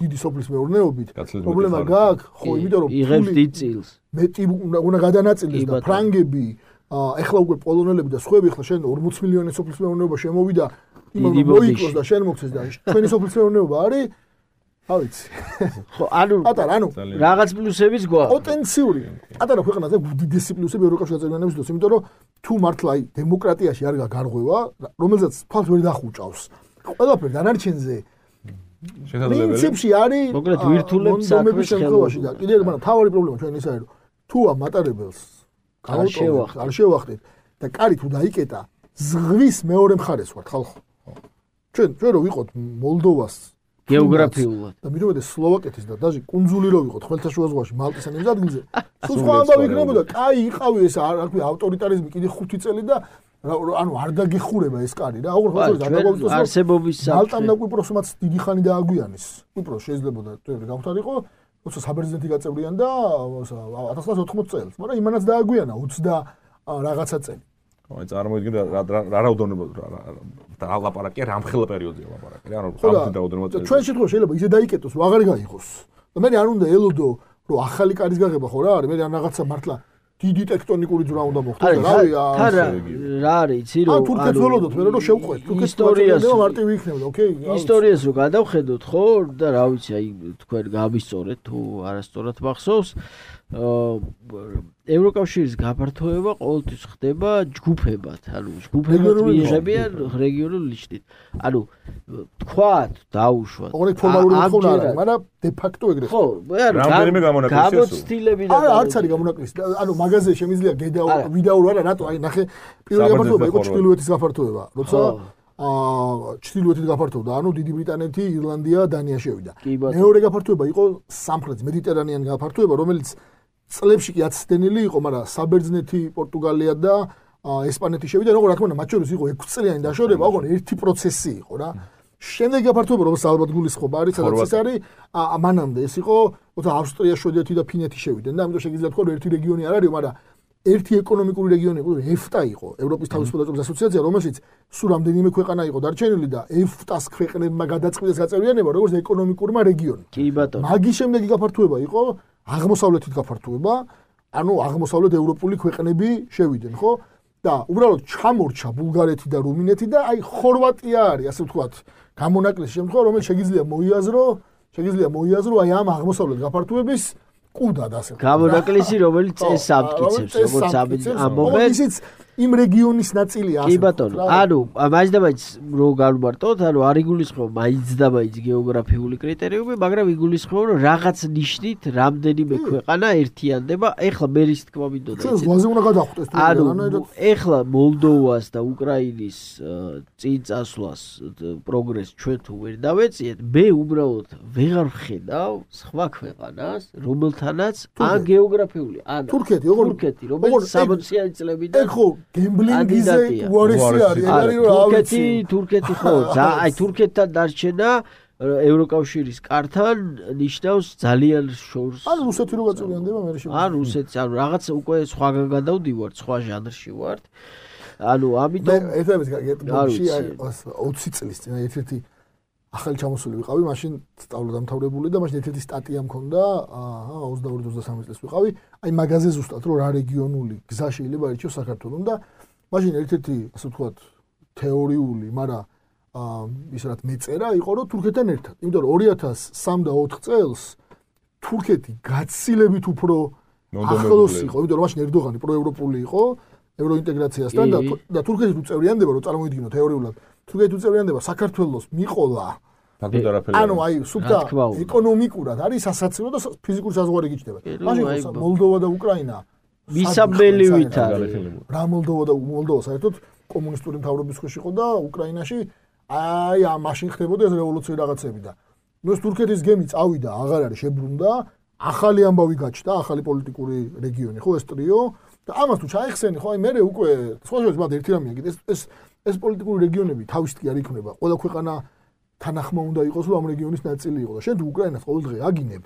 დიდი სოფლის მეურნეობით, პრობლემა გააქვს, ხო, იმიტომ რომ იღებს დიდ წილს. მეტი უნდა გადანაწილდეს და ფრანგები, ეხლა უკვე პოლონელები და სხვები, ეხლა შენ 40 მილიონი სოფლის მეურნეობა შემოვიდა, იმან მოიკლოს და შენ მოგცეს და ჩვენი სოფლის მეურნეობა არის ავიცი. ხო, ანუ რაღაც პლუსებიც გვაქვს. პოტენციური. ატარა ქვეყანაზე უდიდესი პლუსები ევროკავშირის წევრიანების დროს, იმიტომ რომ თუ მართლა აი დემოკრატიაში არ გაგარღვევა, რომელსაც თვალს ვერ დახუჭავს. ყველაფერ დანარჩენზე პრინციპში არის მოკლედ ვირთულებს საქმეს ხელოვანში და კიდევ მაგრამ თავარი პრობლემა ჩვენ ის არის რომ თუ ამ მატარებელს არ შევახდეთ და კარი თუ დაიკეტა ზღვის მეორე მხარეს ვართ ხალხო. ჩვენ რო ვიყოთ მოლდოვას გეოგრაფიულად და მიდომედე სლოვაკეთის და დაჟე კუნძული რო ვიყოთ ხმელთაშუა ზღვაში მალტის ან იმ ადგილზე სულ სხვა ამბავი იქნებოდა. კაი იყავი ეს რა ქვია ავტორიტარიზმი კიდე 5 წელი და ანუ არ დაგეხურება ეს კარი რა. ოღონდ გადაგვაგვიწოს არსებობის მალტამ და კვიპროსმაც დიდი ხანი დააგვიანეს. კვიპროს შეიძლებოდა გავხდარიყო, როცა საბერძნეთი გაწევრიან და 1980 წელს, მაგრამ იმანაც დააგვიანა 20 რაღაცა წელი. აი წარმოიდგინე რა რაოდენობა და ალაპარაკი რამხელა პერიოდია ლაპარაკი. ანუ რამდენი რაოდენობა წელი. ჩვენ შემთხვევაში შეიძლება ისე დაიკეტოს, რომ აღარ გაიღოს. და მე არ უნდა ელოდო, რომ ახალი კარის გაღება ხო რა არის, მე რაღაცა მართლა დიდი ტექტონიკური ძვრა უნდა მოხდეს და რა არის, იცი რომ ანუ თურქეთს ველოდოთ, მე რომ შევყვეთ, თურქეთის პრეზიდენტმა მარტივი იქნებოდა, ოკეი? ისტორიას რო გადავხედოთ, ხო, და რა ვიცი, აი თქვენ გავისწორეთ თუ არასწორად მახსოვს, ევროკავშირის გაფართოება ყოველთვის ხდება ჯგუფებად, ანუ ჯგუფებად მიიღებიან რეგიონულ ნიშნით. ანუ თქვათ, დაუშვათ. ოღონდ ფორმალური თხოვნა არ არის, მაგრამ დე ფაქტო ეგრე. ხო, რამდენიმე გამონაკლისია. გამოცდილები და არც არის გამონაკლისი. ანუ მაგაზია შემიძლია ვიდაურო არა, რატო? აი ნახე, პირველი გაფართოება იყო ჩრდილოეთის გაფართოება, როცა ჩრდილოეთით გაფართოვდა, ანუ დიდი ბრიტანეთი, ირლანდია, დანია შევიდა. მეორე გაფართოება იყო სამხრეთის მედიტერანეan გაფართოება, რომელიც წლებში კი აცდენილი იყო, მაგრამ საბერძნეთი, პორტუგალია და ესპანეთი შევიდა, როგორ რა თქმა უნდა, მათ შორის იყო 6 წლიანი დაშორება, ოღონდ ერთი პროცესი იყო რა. შემდეგი გაფართოება, რომელსაც ალბათ გულისხმობა არის, სადაც ის არის, მანამდე ეს იყო, როცა ავსტრია, შვედეთი და ფინეთი შევიდნენ და ამიტომ შეგიძლიათ თქვა, რომ ერთი რეგიონი არ არის, მაგრამ ერთი ეკონომიკური რეგიონი იყო, EFTA იყო, ევროპის თავისუფლად წვრთნის ასოციაცია, რომელშიც სულ რამდენიმე ქვეყანა იყო დარჩენილი და EFTA-ს ქვეყნებმა გადაწყვიტეს გაწევრიანება, როგორც ეკონომიკურმა რეგიონმა. კი ბატონო. მაგის შემდეგი გაფართოება იყო აღმოსავლეთით გაფართოება, ანუ აღმოსავლეთ ევროპული ქვეყნები შევიდნენ, ხო? და უბრალოდ ჩამორჩა ბულგარეთი და რუმინეთი და აი ხორვატია არის, ასე ვთქვათ, გამონაკლისი შემთხვევა, რომელიც შეგიძლია მოიაზრო აი ამ აღმოსავლეთ გაფართოების კუდად ასე. გამონაკლისი, რომელიც ეს ამტკიცებს, როგორც ამბობენ. ისიც იმ რეგიონის ნაწილია ასე. კი ბატონო. ანუ მაინც რო გავმარტოთ, ანუ არ იგულისხმება მაინც და მაინც გეოგრაფიული კრიტერიუმი, მაგრამ იგულისხმება, რომ რაღაც ნიშნით რამდენიმე ქვეყანა ერთიანდება. ეხლა მე რის თქმა მინდოდა იცით. ზღვაზე უნდა გადახვდეს თუ არა. ანუ ეხლა მოლდოვას და უკრაინის წინ წასვლას პროგრესს ჩვენ თუ ვერ დავეციეთ, მე უბრალოდ ვეღარ ვხედავ სხვა ქვეყანას, რომელთანაც ან გეოგრაფიული, ან თურქეთი, რომელიც 60-იანი წლებიდან გემბლინგიზე უარესი არის, ეგარი რომ ავიცი. თურქეთი ხო, აი თურქეთთან დარჩენა ევროკავშირის კართან ნიშნავს ძალიან შორს. ან რუსეთი რო გაწევრიანდება მე ან რუსეთი, ანუ რაღაც უკვე სხვაგან გადავდივართ, სხვა ჟანრში ვართ. ანუ ამიტომ ერთადერთი 20 წლის წინ ერთ-ერთი ახალი ჩამოსული ვიყავი, მაშინ სწავლადამთავრებული და მაშინ ერთ-ერთი სტატია მქონდა, 22-23 წელს ვიყავი, აი მაგაზე ზუსტად რომ რა რეგიონული გზა შეიძლება ერჩიოს საქართველოს და მაშინ ერთ-ერთი ასე ვთქვათ თეორიული, მაგრამ ის რაც მეწერა იყო რომ თურქეთთან ერთად, იმიტომ რომ 2003 და 4 წელს თურქეთი გაცილებით უფრო ახლოს იყო, იმიტომ რომ მაშინ ერდოღანი პროევროპული იყო ევროინტეგრაციასთან და თურქეთი თუ წევრიანდება, რომ წარმოვიდგინოთ თეორიულად, თურქეთი თუ წევრიანდება, საქართველოს მიყოლა. ანუ აი სულთა ეკონომიკურად არის სასაცილო და ფიზიკური საზღვარი გიჩნდება. მაშინ მოლდოვა და უკრაინა მისაბელივით არის. რა მოლდოვა საერთოდ კომუნისტური მთავრობის ქვეშ იყო და უკრაინაში აი მაშინ ხდებოდა ეს რევოლუციური რაღაცები და ნუ ეს თურქეთის გემი წავიდა, აღარ არის შებრუნდა, ახალი ამბავი გაჩნდა, ახალი პოლიტიკური რეგიონი, ხო ეს ტრიო და ამას თუ ჩაიხსენი, ხო აი მე უკვე სხვა მათ ერთი რამეა, ეს პოლიტიკური რეგიონები თავისთი არ იქნება. ყველა ქვეყანა თანახმა უნდა იყოს, რომ ამ რეგიონის ნაწილი იყოს და შენ თუ უკრაინას ყოველდღე აგინებ.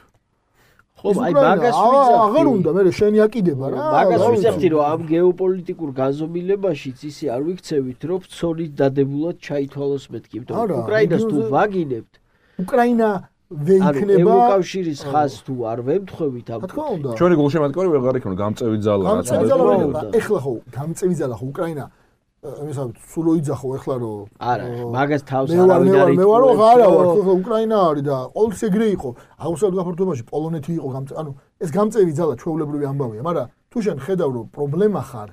ხო, აი მაგას ვიზახი. აღარ უნდა მე შენი აკიდება რა. მაგას ვიზახი, რომ ამ გეოპოლიტიკურ გაზომილებაშიც ისე არ ვიქცევით, რომ ცოლით დადებულად ჩაითვალოს მეთქი, იმიტომ რომ უკრაინას თუ ვაგინებთ, უკრაინა ვეიქნება ევროკავშირის ხაზს თუ არ ვემთხვევით ამ ჩვენი გულშემატკივარი ვეღარ იქნება გამწევი ძალა რაც ეხლა ხო გამწევი ძალა ხო უკრაინა მისავთ სულ ოიძახო ეხლა რომ არა მაგას თავს არავინ არ იტყვის მე ვარო არა ვარ უკრაინა არის და ყოველთვის ეგრე იყო აღმოსავლეთ გაფართოებაში პოლონეთი იყო ანუ ეს გამწევი ძალა ჩვეულებრივი ამბავია მაგრამ თუ შენ ხედავ რომ პრობლემა ხარ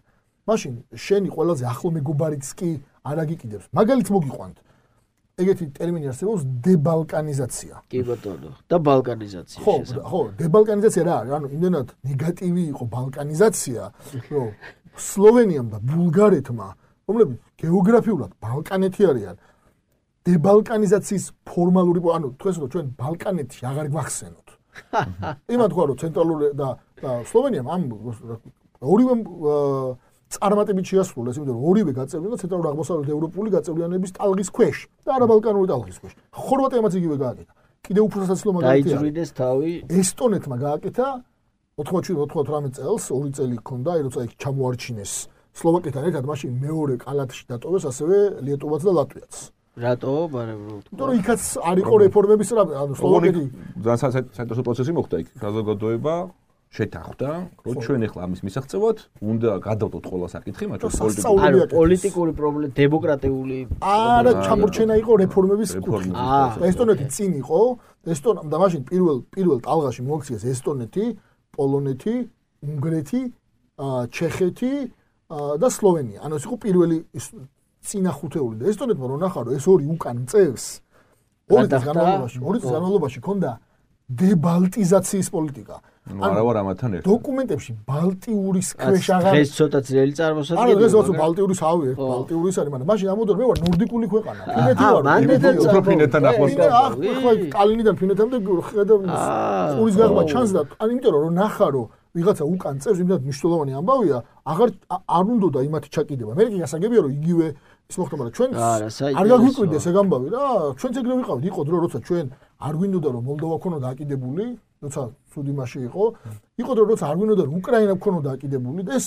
მაშინ შენი ყველაზე ახლო მეგობარიც კი არ აგიკიდებს მაგალითს მოგიყვანთ ეგეთი ტერმინი არსებობს დებალკანიზაცია. კი ბატონო, და ბალკანიზაცია შესაძლოა. ხო, დებალკანიზაცია რა არის? ანუ იმდენად ნეგატივი იყო ბალკანიზაცია, რომ სლოვენიამ და ბულგარეთმა, რომლებიც გეოგრაფიულად ბალკანეთი არიან, დებალკანიზაციის ფორმალური, ანუ თქვენს რომ ჩვენ ბალკანეთში აღარ გვახსენოთ. იმათ თქვა რომ ცენტრალური და სლოვენიამ ამ ორივე წარმატებით შეასრულეს, იმიტომ რომ ორივე გაწევრიანდა ცენტრალური აღმოსავლეთ ევროპული გაწევრიანების ტალღის ქვეშ და არაბალკანური ტალღის ქვეშ. ხორვატიამაც იგივე გააკეთა. კიდევ უფრო სასაცილო მაგალითია. დაიძვრინეს თავი. ესტონეთმა გააკეთა 97-98 წელს, 2 წელი ჰქონდა, როცა იქ ჩამოარჩინეს სლოვაკეთთან ერთად, მაშინ მეორე კალათში დატოვეს ასევე ლიეტოვაც და ლატვიაც. რატო? მაგრამ იმიტომ რომ იქაც არ იყო რეფორმების ანუ სლოვაკეთი ძალიან საინტერესო პროცესი მოხდა იქ. საზოგადოება შეთანხმდა, რომ ჩვენ ახლა ამის მისაღწევად უნდა გადავდოთ ყველა საკითხი, მაგრამ პოლიტიკური პრობლემა, დემოკრატიული არა, ჩამორჩენა იყო რეფორმების კუთხით. ესტონეთი წინ იყო, და მაშინ პირველ ტალღაში მოაქციეს ესტონეთი, პოლონეთი, უნგრეთი, ჩეხეთი და სლოვენია. ანუ ეს იყო პირველი წინა ხუთეული და ესტონეთმა რო ნახა, რომ ეს ორი უკან წევს, ორი წლის განმავლობაში ქონდა დებალტიზაციის პოლიტიკა. არა ვარ ამათთან ერთად. დოკუმენტებში ბალტიურის ქვეშ აღარ დღეს ცოტა ძნელი წარმოსადგენია. არა, დღეს ვაცო ბალტიურის ავი, ბალტიურის არის, მაგრამ მაშინ ამოდარ მე ვარ ნორდიკული ქვეყანა. ფინეთი ვარ. უფრო ფინეთთან ახლოს ხარ. ახლა კალინიდან ფინეთამდე ხედავ ყურის გაღმა ჩანს და ან იმიტომ რომ ნახა რომ ვიღაცა უკან წევს, იმდან მნიშვნელოვანი ამბავია, აღარ არ უნდა იმათი ჩაკიდება. მე კი გასაგებია რომ იგივე ის მოხდა, მაგრამ ჩვენ არ გაგვიკვირდეს ეგ ამბავი რა. ჩვენც ეგრე ვიყავით, იყო დრო როცა ჩვენ არ გვინდოდა რომ მოლდოვა ქონოდა აკიდებული, როცა სულ იმაში იყო დრო როცა არ გვინდოდა რომ უკრაინა ქონოდა აკიდებული და ეს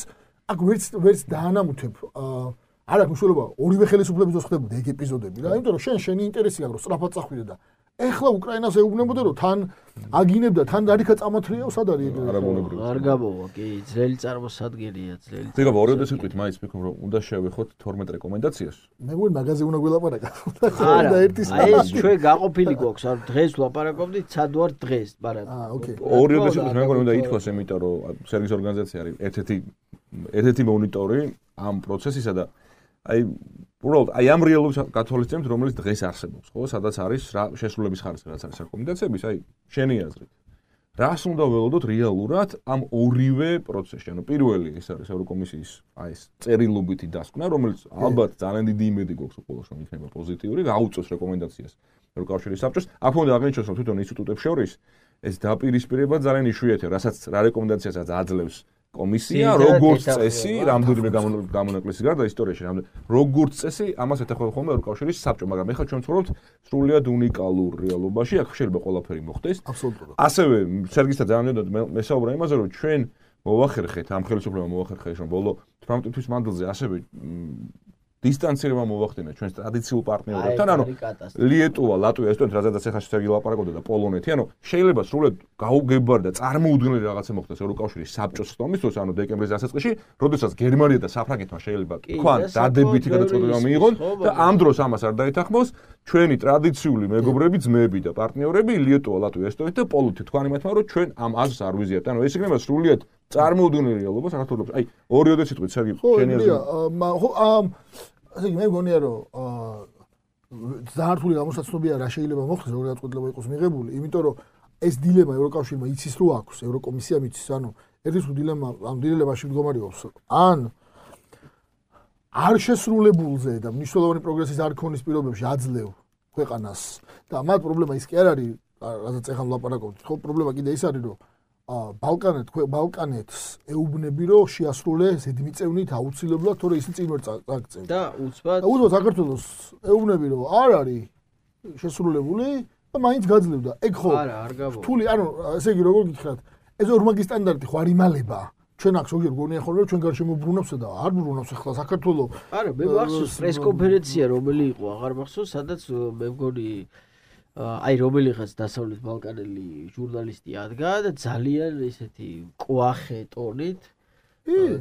აქ ვერც დაანამუთებ არ აქვს მნიშვნელობა ორივე ხელისუფლების დროს ხდებოდა ეგ ეპიზოდები რა, იმიტომ რომ შენი ინტერესი აქვს რომ სწრაფად წახვიდე და ეხლა უკრაინას ეუბნებოდა რომ თან აგინებდა, თან დარიქა წამოთრიაო, სად არის ეგ? არ გამოვა, კი, ძველი წარმოსადგენია, ძველი. დგება ორიოდე სიტყვით მაინც ვფიქრობ რომ უნდა შევეხოთ 12 რეკომენდაციას. მე მგონი მაგაზე უნდა გველაპარაკო. არა, აი ეს ჩვენ გაყოფილი გვაქვს, არ დღეს ვლაპარაკობდით, სად ვარ დღეს, მაგრამ ორიოდე სიტყვით მე მგონი უნდა ითქვას, იმიტომ რომ სერგის ორგანიზაცია არის ერთ-ერთი მონიტორი ამ პროცესისა და აი უბრალოდ აი ამ რეალობას გათვალისწინებთ, რომელიც დღეს არსებობს, ხო, სადაც არის რა შესრულების ხარისხი, რაც არის რეკომენდაციების, აი შენი აზრით. რას უნდა ველოდოთ რეალურად ამ ორივე პროცესში? ანუ პირველი ეს არის ევროკომისიის აი ეს წერილობითი დასკვნა, რომელიც ალბათ ძალიან დიდი იმედი გვაქვს უყოლოს რომ იქნება პოზიტიური, გაუწევს რეკომენდაციას ევროკავშირის საბჭოს. აქ უნდა აღნიშნოს, რომ თვითონ ინსტიტუტებს შორის ეს დაპირისპირება ძალიან იშვიათია, რასაც რა რეკომენდაციასაც აძლევს კომისია, როგორც წესი, რამდენიმე გამონაკლისის გარდა ისტორიაში, როგორც წესი, ამას ეთანხმება ხოლმე ევროკავშირის საბჭო, მაგრამ ეხლა ჩვენ ვცხოვრობთ სრულიად უნიკალურ რეალობაში, აქ შეიძლება ყველაფერი მოხდეს. აბსოლუტურად. ასევე სერგისთან ძალიან მესაუბრა იმაზე, რომ ჩვენ მოვახერხეთ ამ ხელისუფლებამ მოვახერხეთ რომ ბოლო 18 თვის მანძილზე ასევე დისტანცირება მოვახდინა ჩვენს ტრადიციულ პარტნიორებთან, ანუ ლიეტუვა, ლატვია, ესტონეთი, რაზედაც ახლა შეგვიძლია ლაპარაკობდა და პოლონეთი, ანუ შეიძლება სრულად გაუგებარდა წარმოუდგენელი რაღაცა მოხდეს ევროკავშირის საბჭოს ხდომის დროს, ანუ დეკემბრის დასაწყისში, როდესაც გერმანია და საფრანგეთმა შეიძლება თქვან დადებითი გადაწყვეტილება მიიღონ და ამ დროს ამას არ დაეთანხმოს ჩვენი ტრადიციული მეგობრები, ძმები და პარტნიორები ლიეტუვა, ლატვია, ესტონეთი და პოლონეთი თქვენ იმათმა რომ ჩვენ ამ აზრს არ ვიზიართ, ანუ ეს იქნება სრულად წარმოუდგენელი რეალობა საქართველოს. აი, ორიოდე სიტყვით სერგი, შენი აზრი. ხო, ასე მე მგონია რომ ზართული გამოსაცნობია რა შეიძლება მოხდეს როგორ გადაწყვეტილება იყოს მიღებული, იმიტომ რომ ეს დილემა ევროკავშირმა იცის რო აქვს, ევროკომისიამ იცის, ანუ ერთის დილემა ამ დილემაში მდგომარეობს, ან არ შესრულებულზე და მნიშვნელოვანი პროგრესის არ ქონის პირობებში აძლევ ქვეყანას და მათ პრობლემა ის კი არ არის, რადგან ახლა ვლაპარაკობთ, ხო პრობლემა კიდე ის არის რომ ბალკანეთს ეუბნები რომ შეასრულე ზედმიწევნით აუცილებლად, თორე ისინი წინ ვერ წაგწევს. და უცბად საქართველოს ეუბნები რომ არ არის შესრულებული და მაინც გაძლევდა. ეგ ხო არ გაბო. რთული, ანუ ესე იგი როგორ გითხრათ, ეს ორმაგი სტანდარტი ხო არ იმალება. ჩვენ აქ ზოგიერთ გონია ხოლმე რომ ჩვენ გარშემო ბრუნავსა და არ ბრუნავს ახლა საქართველოს. არა, მე მახსოვს პრესკონფერენცია რომელი იყო, აღარ მახსოვს, სადაც მე მგონი აი რომელიღაც დასავლეთ ბალკანელი ჟურნალისტი ადგა და ძალიან ესეთი ყვახე ტონით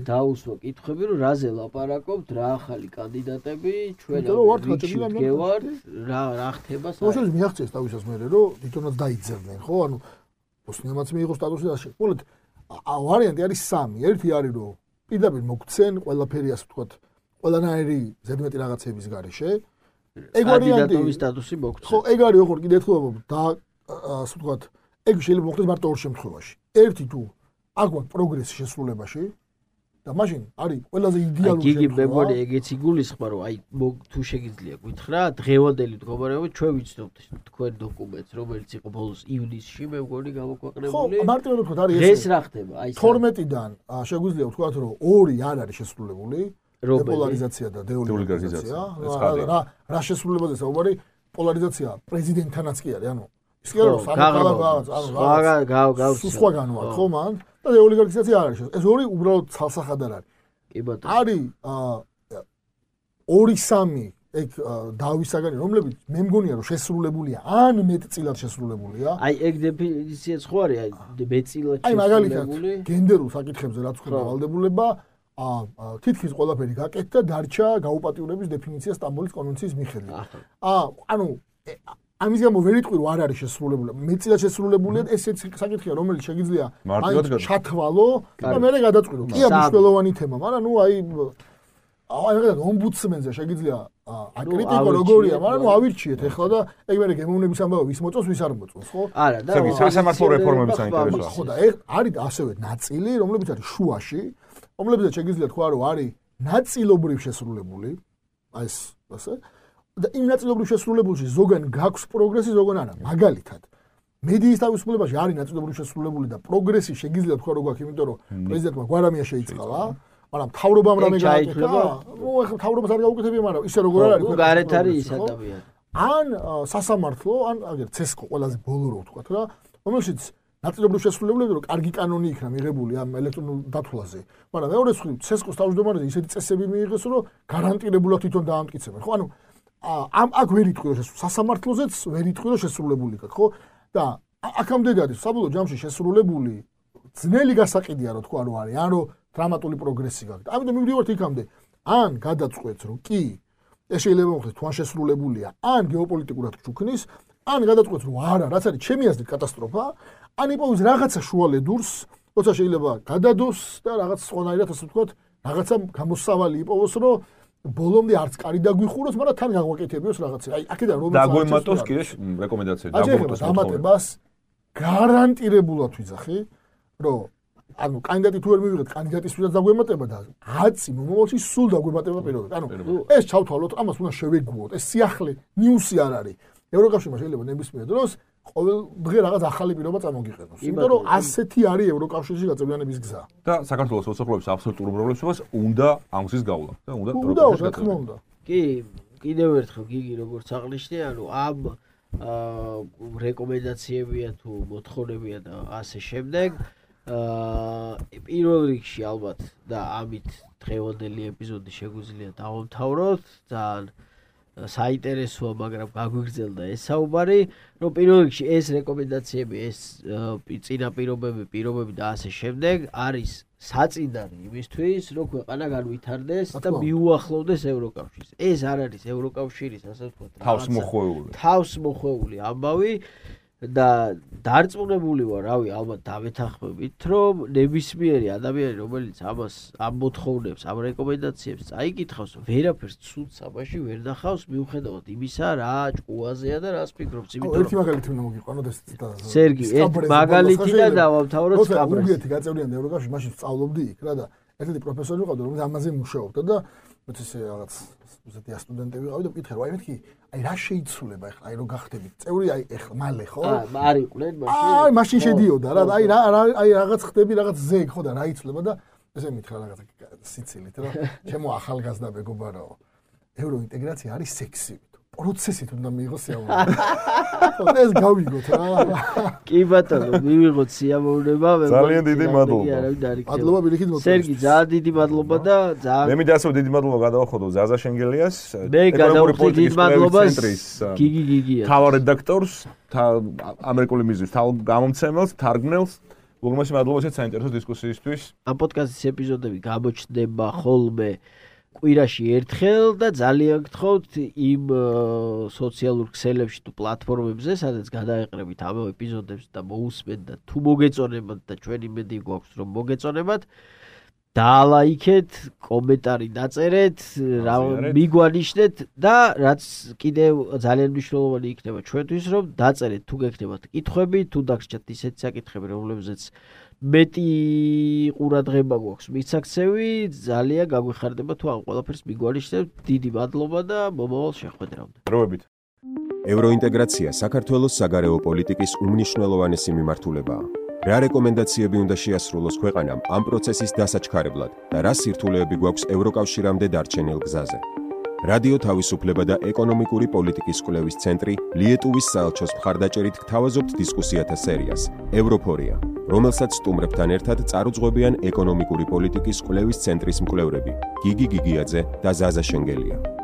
დაუსვა კითხვები რომ რაზე ლაპარაკობთ, რა ახალი კანდიდატები, ჩვენ ვართ, რა ხდება საერთოდ. მოშოვის მიაღწიეს თავისას მერე რომ თვითონაც დაიძებდნენ, ხო? ანუ ოსნიამაც მიიღო სტატუსი და მოკლედ ვარიანტი არის სამი. ერთი არის რომ პირდაპირ მოგცენ ყველაფერი ასე ვთქვათ, ყველანაირი ზედმეტი რაღაცების გარეშე. ეგ ვარიანტი სტატუსი მოგცეთ. ხო, ეგ არის ოღონდ კიდე ერთხელ და ასე ვთქვათ, ეგ შეიძლება მოხდეს მარტო ორ შემთხვევაში. ერთი თუ აქ გვაქვს პროგრესი შესრულებაში და მაშინ არის ყველაზე იდეალური შემთხვევა. გიგი მეგონი ეგეც იგულისხმება რომ აი თუ შეგიძლია გითხრა, დღევანდელი მდგომარეობა ჩვენ ვიცნობთ თქვენ დოკუმენტს, რომელიც იყო ბოლოს ივნისში, მე მგონი გამოქვეყნებული. ხო, მარტივად ვთქვათ, არის ეს რა ხდება? აი 12-დან შეგვიძლია ვთქვათ რომ ორი არ არის შესრულებული. დეპოლარიზაცია და დეოლიგარიზაცია. რა შესრულებაზე საუბარი? პოლარიზაცია პრეზიდენტთანაც კი არის, ანუ ის კი არის სხვა განვართ, ხო მან? და დეოლიგარიზაცია არ არის. ეს ორი უბრალოდ ცალსახად არ არის. კი ბატონო. არის 2-3 ეგ დავისაგანი, რომლებიც მე მგონია რომ შესრულებულია, ან მეტწილად შესრულებულია. აი ეგ დეფინიციაც ხო არის, აი მეტწილად შესრულებული. აი მაგალითად გენდერულ საკითხებზე რაც ხდება ვალდებულება თითქმის ყველაფერი გაკეთდა, დარჩა გაუპატიურების დეფინიცია სტამბოლის კონვენციის მიხედვით. ანუ ამის გამო ვერ იტყვი რომ არ არის შესრულებული. მეტწილად შესრულებულია, ესეც საკითხია, რომელიც შეგიძლია ჩათვალო და მე გადაწყვიტო. კია მნიშვნელოვანი თემა, მაგრამ ნუ აი მაგალითად ომბუდსმენზე შეგიძლია აკრიტიკო როგორია, მაგრამ ნუ ავირჩიეთ ახლა და ეგ მე გემოვნების ამბავი ვის მოწონს, ვის არ მოწონს, ხო? არა და სასამართლო რეფორმები საინტერესოა. ხო და ეგ არის ასევე ნაწილი, რომლებიც არის შუაში, რომლებიც შეგიძლია თქვა რომ არის ნაწილობრივ შესრულებული, აი ეს ასე და იმ ნაწილობრივ შესრულებულში ზოგან გაქვს პროგრესი, ზოგან არა. მაგალითად, მედიის თავისუფლებაში არის ნაწილობრივ შესრულებული და პროგრესი შეგიძლია თქვა რომ გაქვს, იმიტომ რომ პრეზიდენტმა გვარამია შეიწყალა, მაგრამ მთავრობამ რამე გააკეთა. ნუ ეხლა მთავრობას არ გაუკეთებია, მაგრამ ისე როგორ არის, ხო, გარეთ არის ის ადამიანი. ან სასამართლო, ან აგერ ცესკო ყველაზე ბოლო რო ვთქვათ რა, რომელშიც ნაწილობრივ შესრულებული რომ კარგი კანონი იქნა მიღებული ამ ელექტრონულ დათვლაზე. მაგრამ მეორე მხრივ ცესკოს თავმჯდომარეზე ისეთი წესები მიიღეს, რომ გარანტირებულად თვითონ დაამტკიცებენ, ხო? ანუ აქ ვერ იტყვი რომ სასამართლოზეც ვერ იტყვი რომ შესრულებული იქ, ხო? და აქამდე არის საბოლოო ჯამში შესრულებული ძნელი გასაყიდია რომ თქვა რომ არის, ან რომ დრამატული პროგრესი გაქვს. ამიტომ მივდივართ იქამდე. ან გადაწყვეტს რომ კი ეს შეიძლება მოხდეს თუ ან შესრულებულია, ან გეოპოლიტიკურად ჩუქნის, ან გადაწყვეტს რომ არა, რაც არის ჩემი აზრით კატასტროფა, ან იპოვოს რაღაცა შუალედურს, როცა შეიძლება გადადოს და რაღაც სხვანაირად ასე ვთქვათ, რაღაცა გამოსავალი იპოვოს, რომ ბოლომდე არც კარი დაგვიხუროს, მაგრამ თან გაგვაკეთებიოს რაღაცა. აი, აქედან რომ დაგვემატოს კიდე რეკომენდაცია დაგვემატოს დამატებას გარანტირებულად ვიძახი, რომ ანუ კანდიდატი თუ ვერ მივიღეთ, კანდიდატისთვისაც დაგვემატება და 10 მომავალში სულ დაგვემატება პირობად. ანუ ეს ჩავთვალოთ, ამას უნდა შევეგუოთ. ეს სიახლე ნიუსი არ არის. ევროკავშირმა შეიძლება ნებისმიერ დროს ყოველ დღე რაღაც ახალი პირობა წამოგიყენოს. იმიტომ რომ ასეთი არის ევროკავშირში გაწევრიანების გზა. და საქართველოს მოსახლეობის აბსოლუტურ უმრავლესობას უნდა ამ გზის გავლა და უნდა რა თქმა უნდა. კი, კიდევ ერთხელ გიგი როგორც აღნიშნე, ანუ ამ რეკომენდაციებია თუ მოთხოვნებია და ასე შემდეგ პირველ რიგში ალბათ და ამით დღევანდელი ეპიზოდი შეგვიძლია დავამთავროთ. ძალიან საინტერესოა, მაგრამ გაგვიგრძელდა ეს საუბარი, რომ პირველ რიგში ეს რეკომენდაციები, ეს წინა პირობები და ასე შემდეგ არის საწინდარი იმისთვის, რომ ქვეყანა განვითარდეს და მიუახლოვდეს ევროკავშირს. ეს არ არის ევროკავშირის, ასე ვთქვათ, თავსმოხვეული ამბავი და დარწმუნებული ვარ, ალბათ დავეთანხმებით, რომ ნებისმიერი ადამიანი, რომელიც ამ მოთხოვნებს, ამ რეკომენდაციებს წაიკითხავს, ვერაფერს ცუდს ამაში ვერ ნახავს, მიუხედავად იმისა, რა ჭკუაზეა და რას ფიქრობს, იმიტომ ერთი მაგალითი უნდა მოგიყვანოთ ეს სერგი, ერთ მაგალითი და დავამთავროთ სკაბრეს. უგეთი გაწევრიანდა ევროკავშირში, მაშინ სწავლობდი იქ რა და ერთ-ერთი პროფესორი ვიყავდა, რომელიც ამაზე მუშაობდა და მეც ესე რაღაც უსათია სტუდენტები ვიყავი და მკითხე, აი მეთქი, აი რა შეიცვლება ახლა, აი რო გახდებით წევრი, აი ახლა მალე ხო? არ იყვნენ მაშინ. აი მაშინ შედიოდა რა, აი რაღაც ხდები, რაღაც ზეგ ხო და რა იცვლება და ესე მითხრა რაღაც სიცილით, რომ ჩემო ახალგაზრდა მეგობარო, ევროინტეგრაცია არის სექსივი. პროცესით უნდა მიიღოს სიამოვნება. ეს გავიგოთ რა. კი ბატონო, მივიღოთ სიამოვნება. ძალიან დიდი მადლობა. მადლობა ბილიქით მოწესრიგეთ. სერგი, ძალიან დიდი მადლობა და ძალიან მე მინდა ასე დიდი მადლობა გადავახოდო ზაზა შენგელიას, ეკონომიკური პოლიტიკის ცენტრის გიგიას, თავ რედაქტორს, ამერიკული მიზნის თავ გამომცემელს, თარგმნელს. უგმესი მადლობა შეც საინტერესო დისკუსიისთვის. ამ პოდკასტის ეპიზოდები გამოჩნდება ხოლმე კვირაში ერთხელ და ძალიან გთხოვთ იმ სოციალურ ქსელებში თუ პლატფორმებზე, სადაც გადაეყრებით ამ ეპიზოდებს და მოусმენთ და თუ მოგეწონებათ და ჩვენ იმედი გვაქვს რომ მოგეწონებათ, დაალაიქეთ, კომენტარი დაწერეთ, მიგვანიშნეთ და რაც კიდევ ძალიან მნიშვნელოვანი იქნება ჩვენთვის, რომ დაწერეთ თუ გექნებათ კითხვები, თუ დაგჭირთ ისეთი საკითხები, რომლებზეც მეტი ყურადღება გვაქვს მისაქცევი, ძალიან გაგვიხარდება თუ ამ ყველაფერს მიგვანიშნებთ. დიდი მადლობა და მომავალ შეხვედრამდე. დროებით. ევროინტეგრაცია საქართველოს საგარეო პოლიტიკის უმნიშვნელოვანესი მიმართულებაა. რა რეკომენდაციები უნდა შეასრულოს ქვეყანამ ამ პროცესის დასაჩქარებლად და რა სირთულეები გვაქვს ევროკავშირამდე დარჩენილ გზაზე. რადიო თავისუფლება და ეკონომიკური პოლიტიკის კვლევის ცენტრი ლიეტუვის საელჩოს მხარდაჭერით გთავაზობთ დისკუსიათა სერიას ევროფორია, რომელსაც სტუმრებთან ერთად წარუძღვებიან ეკონომიკური პოლიტიკის კვლევის ცენტრის მკვლევრები გიგი გიგიაძე და ზაზა შენგელია.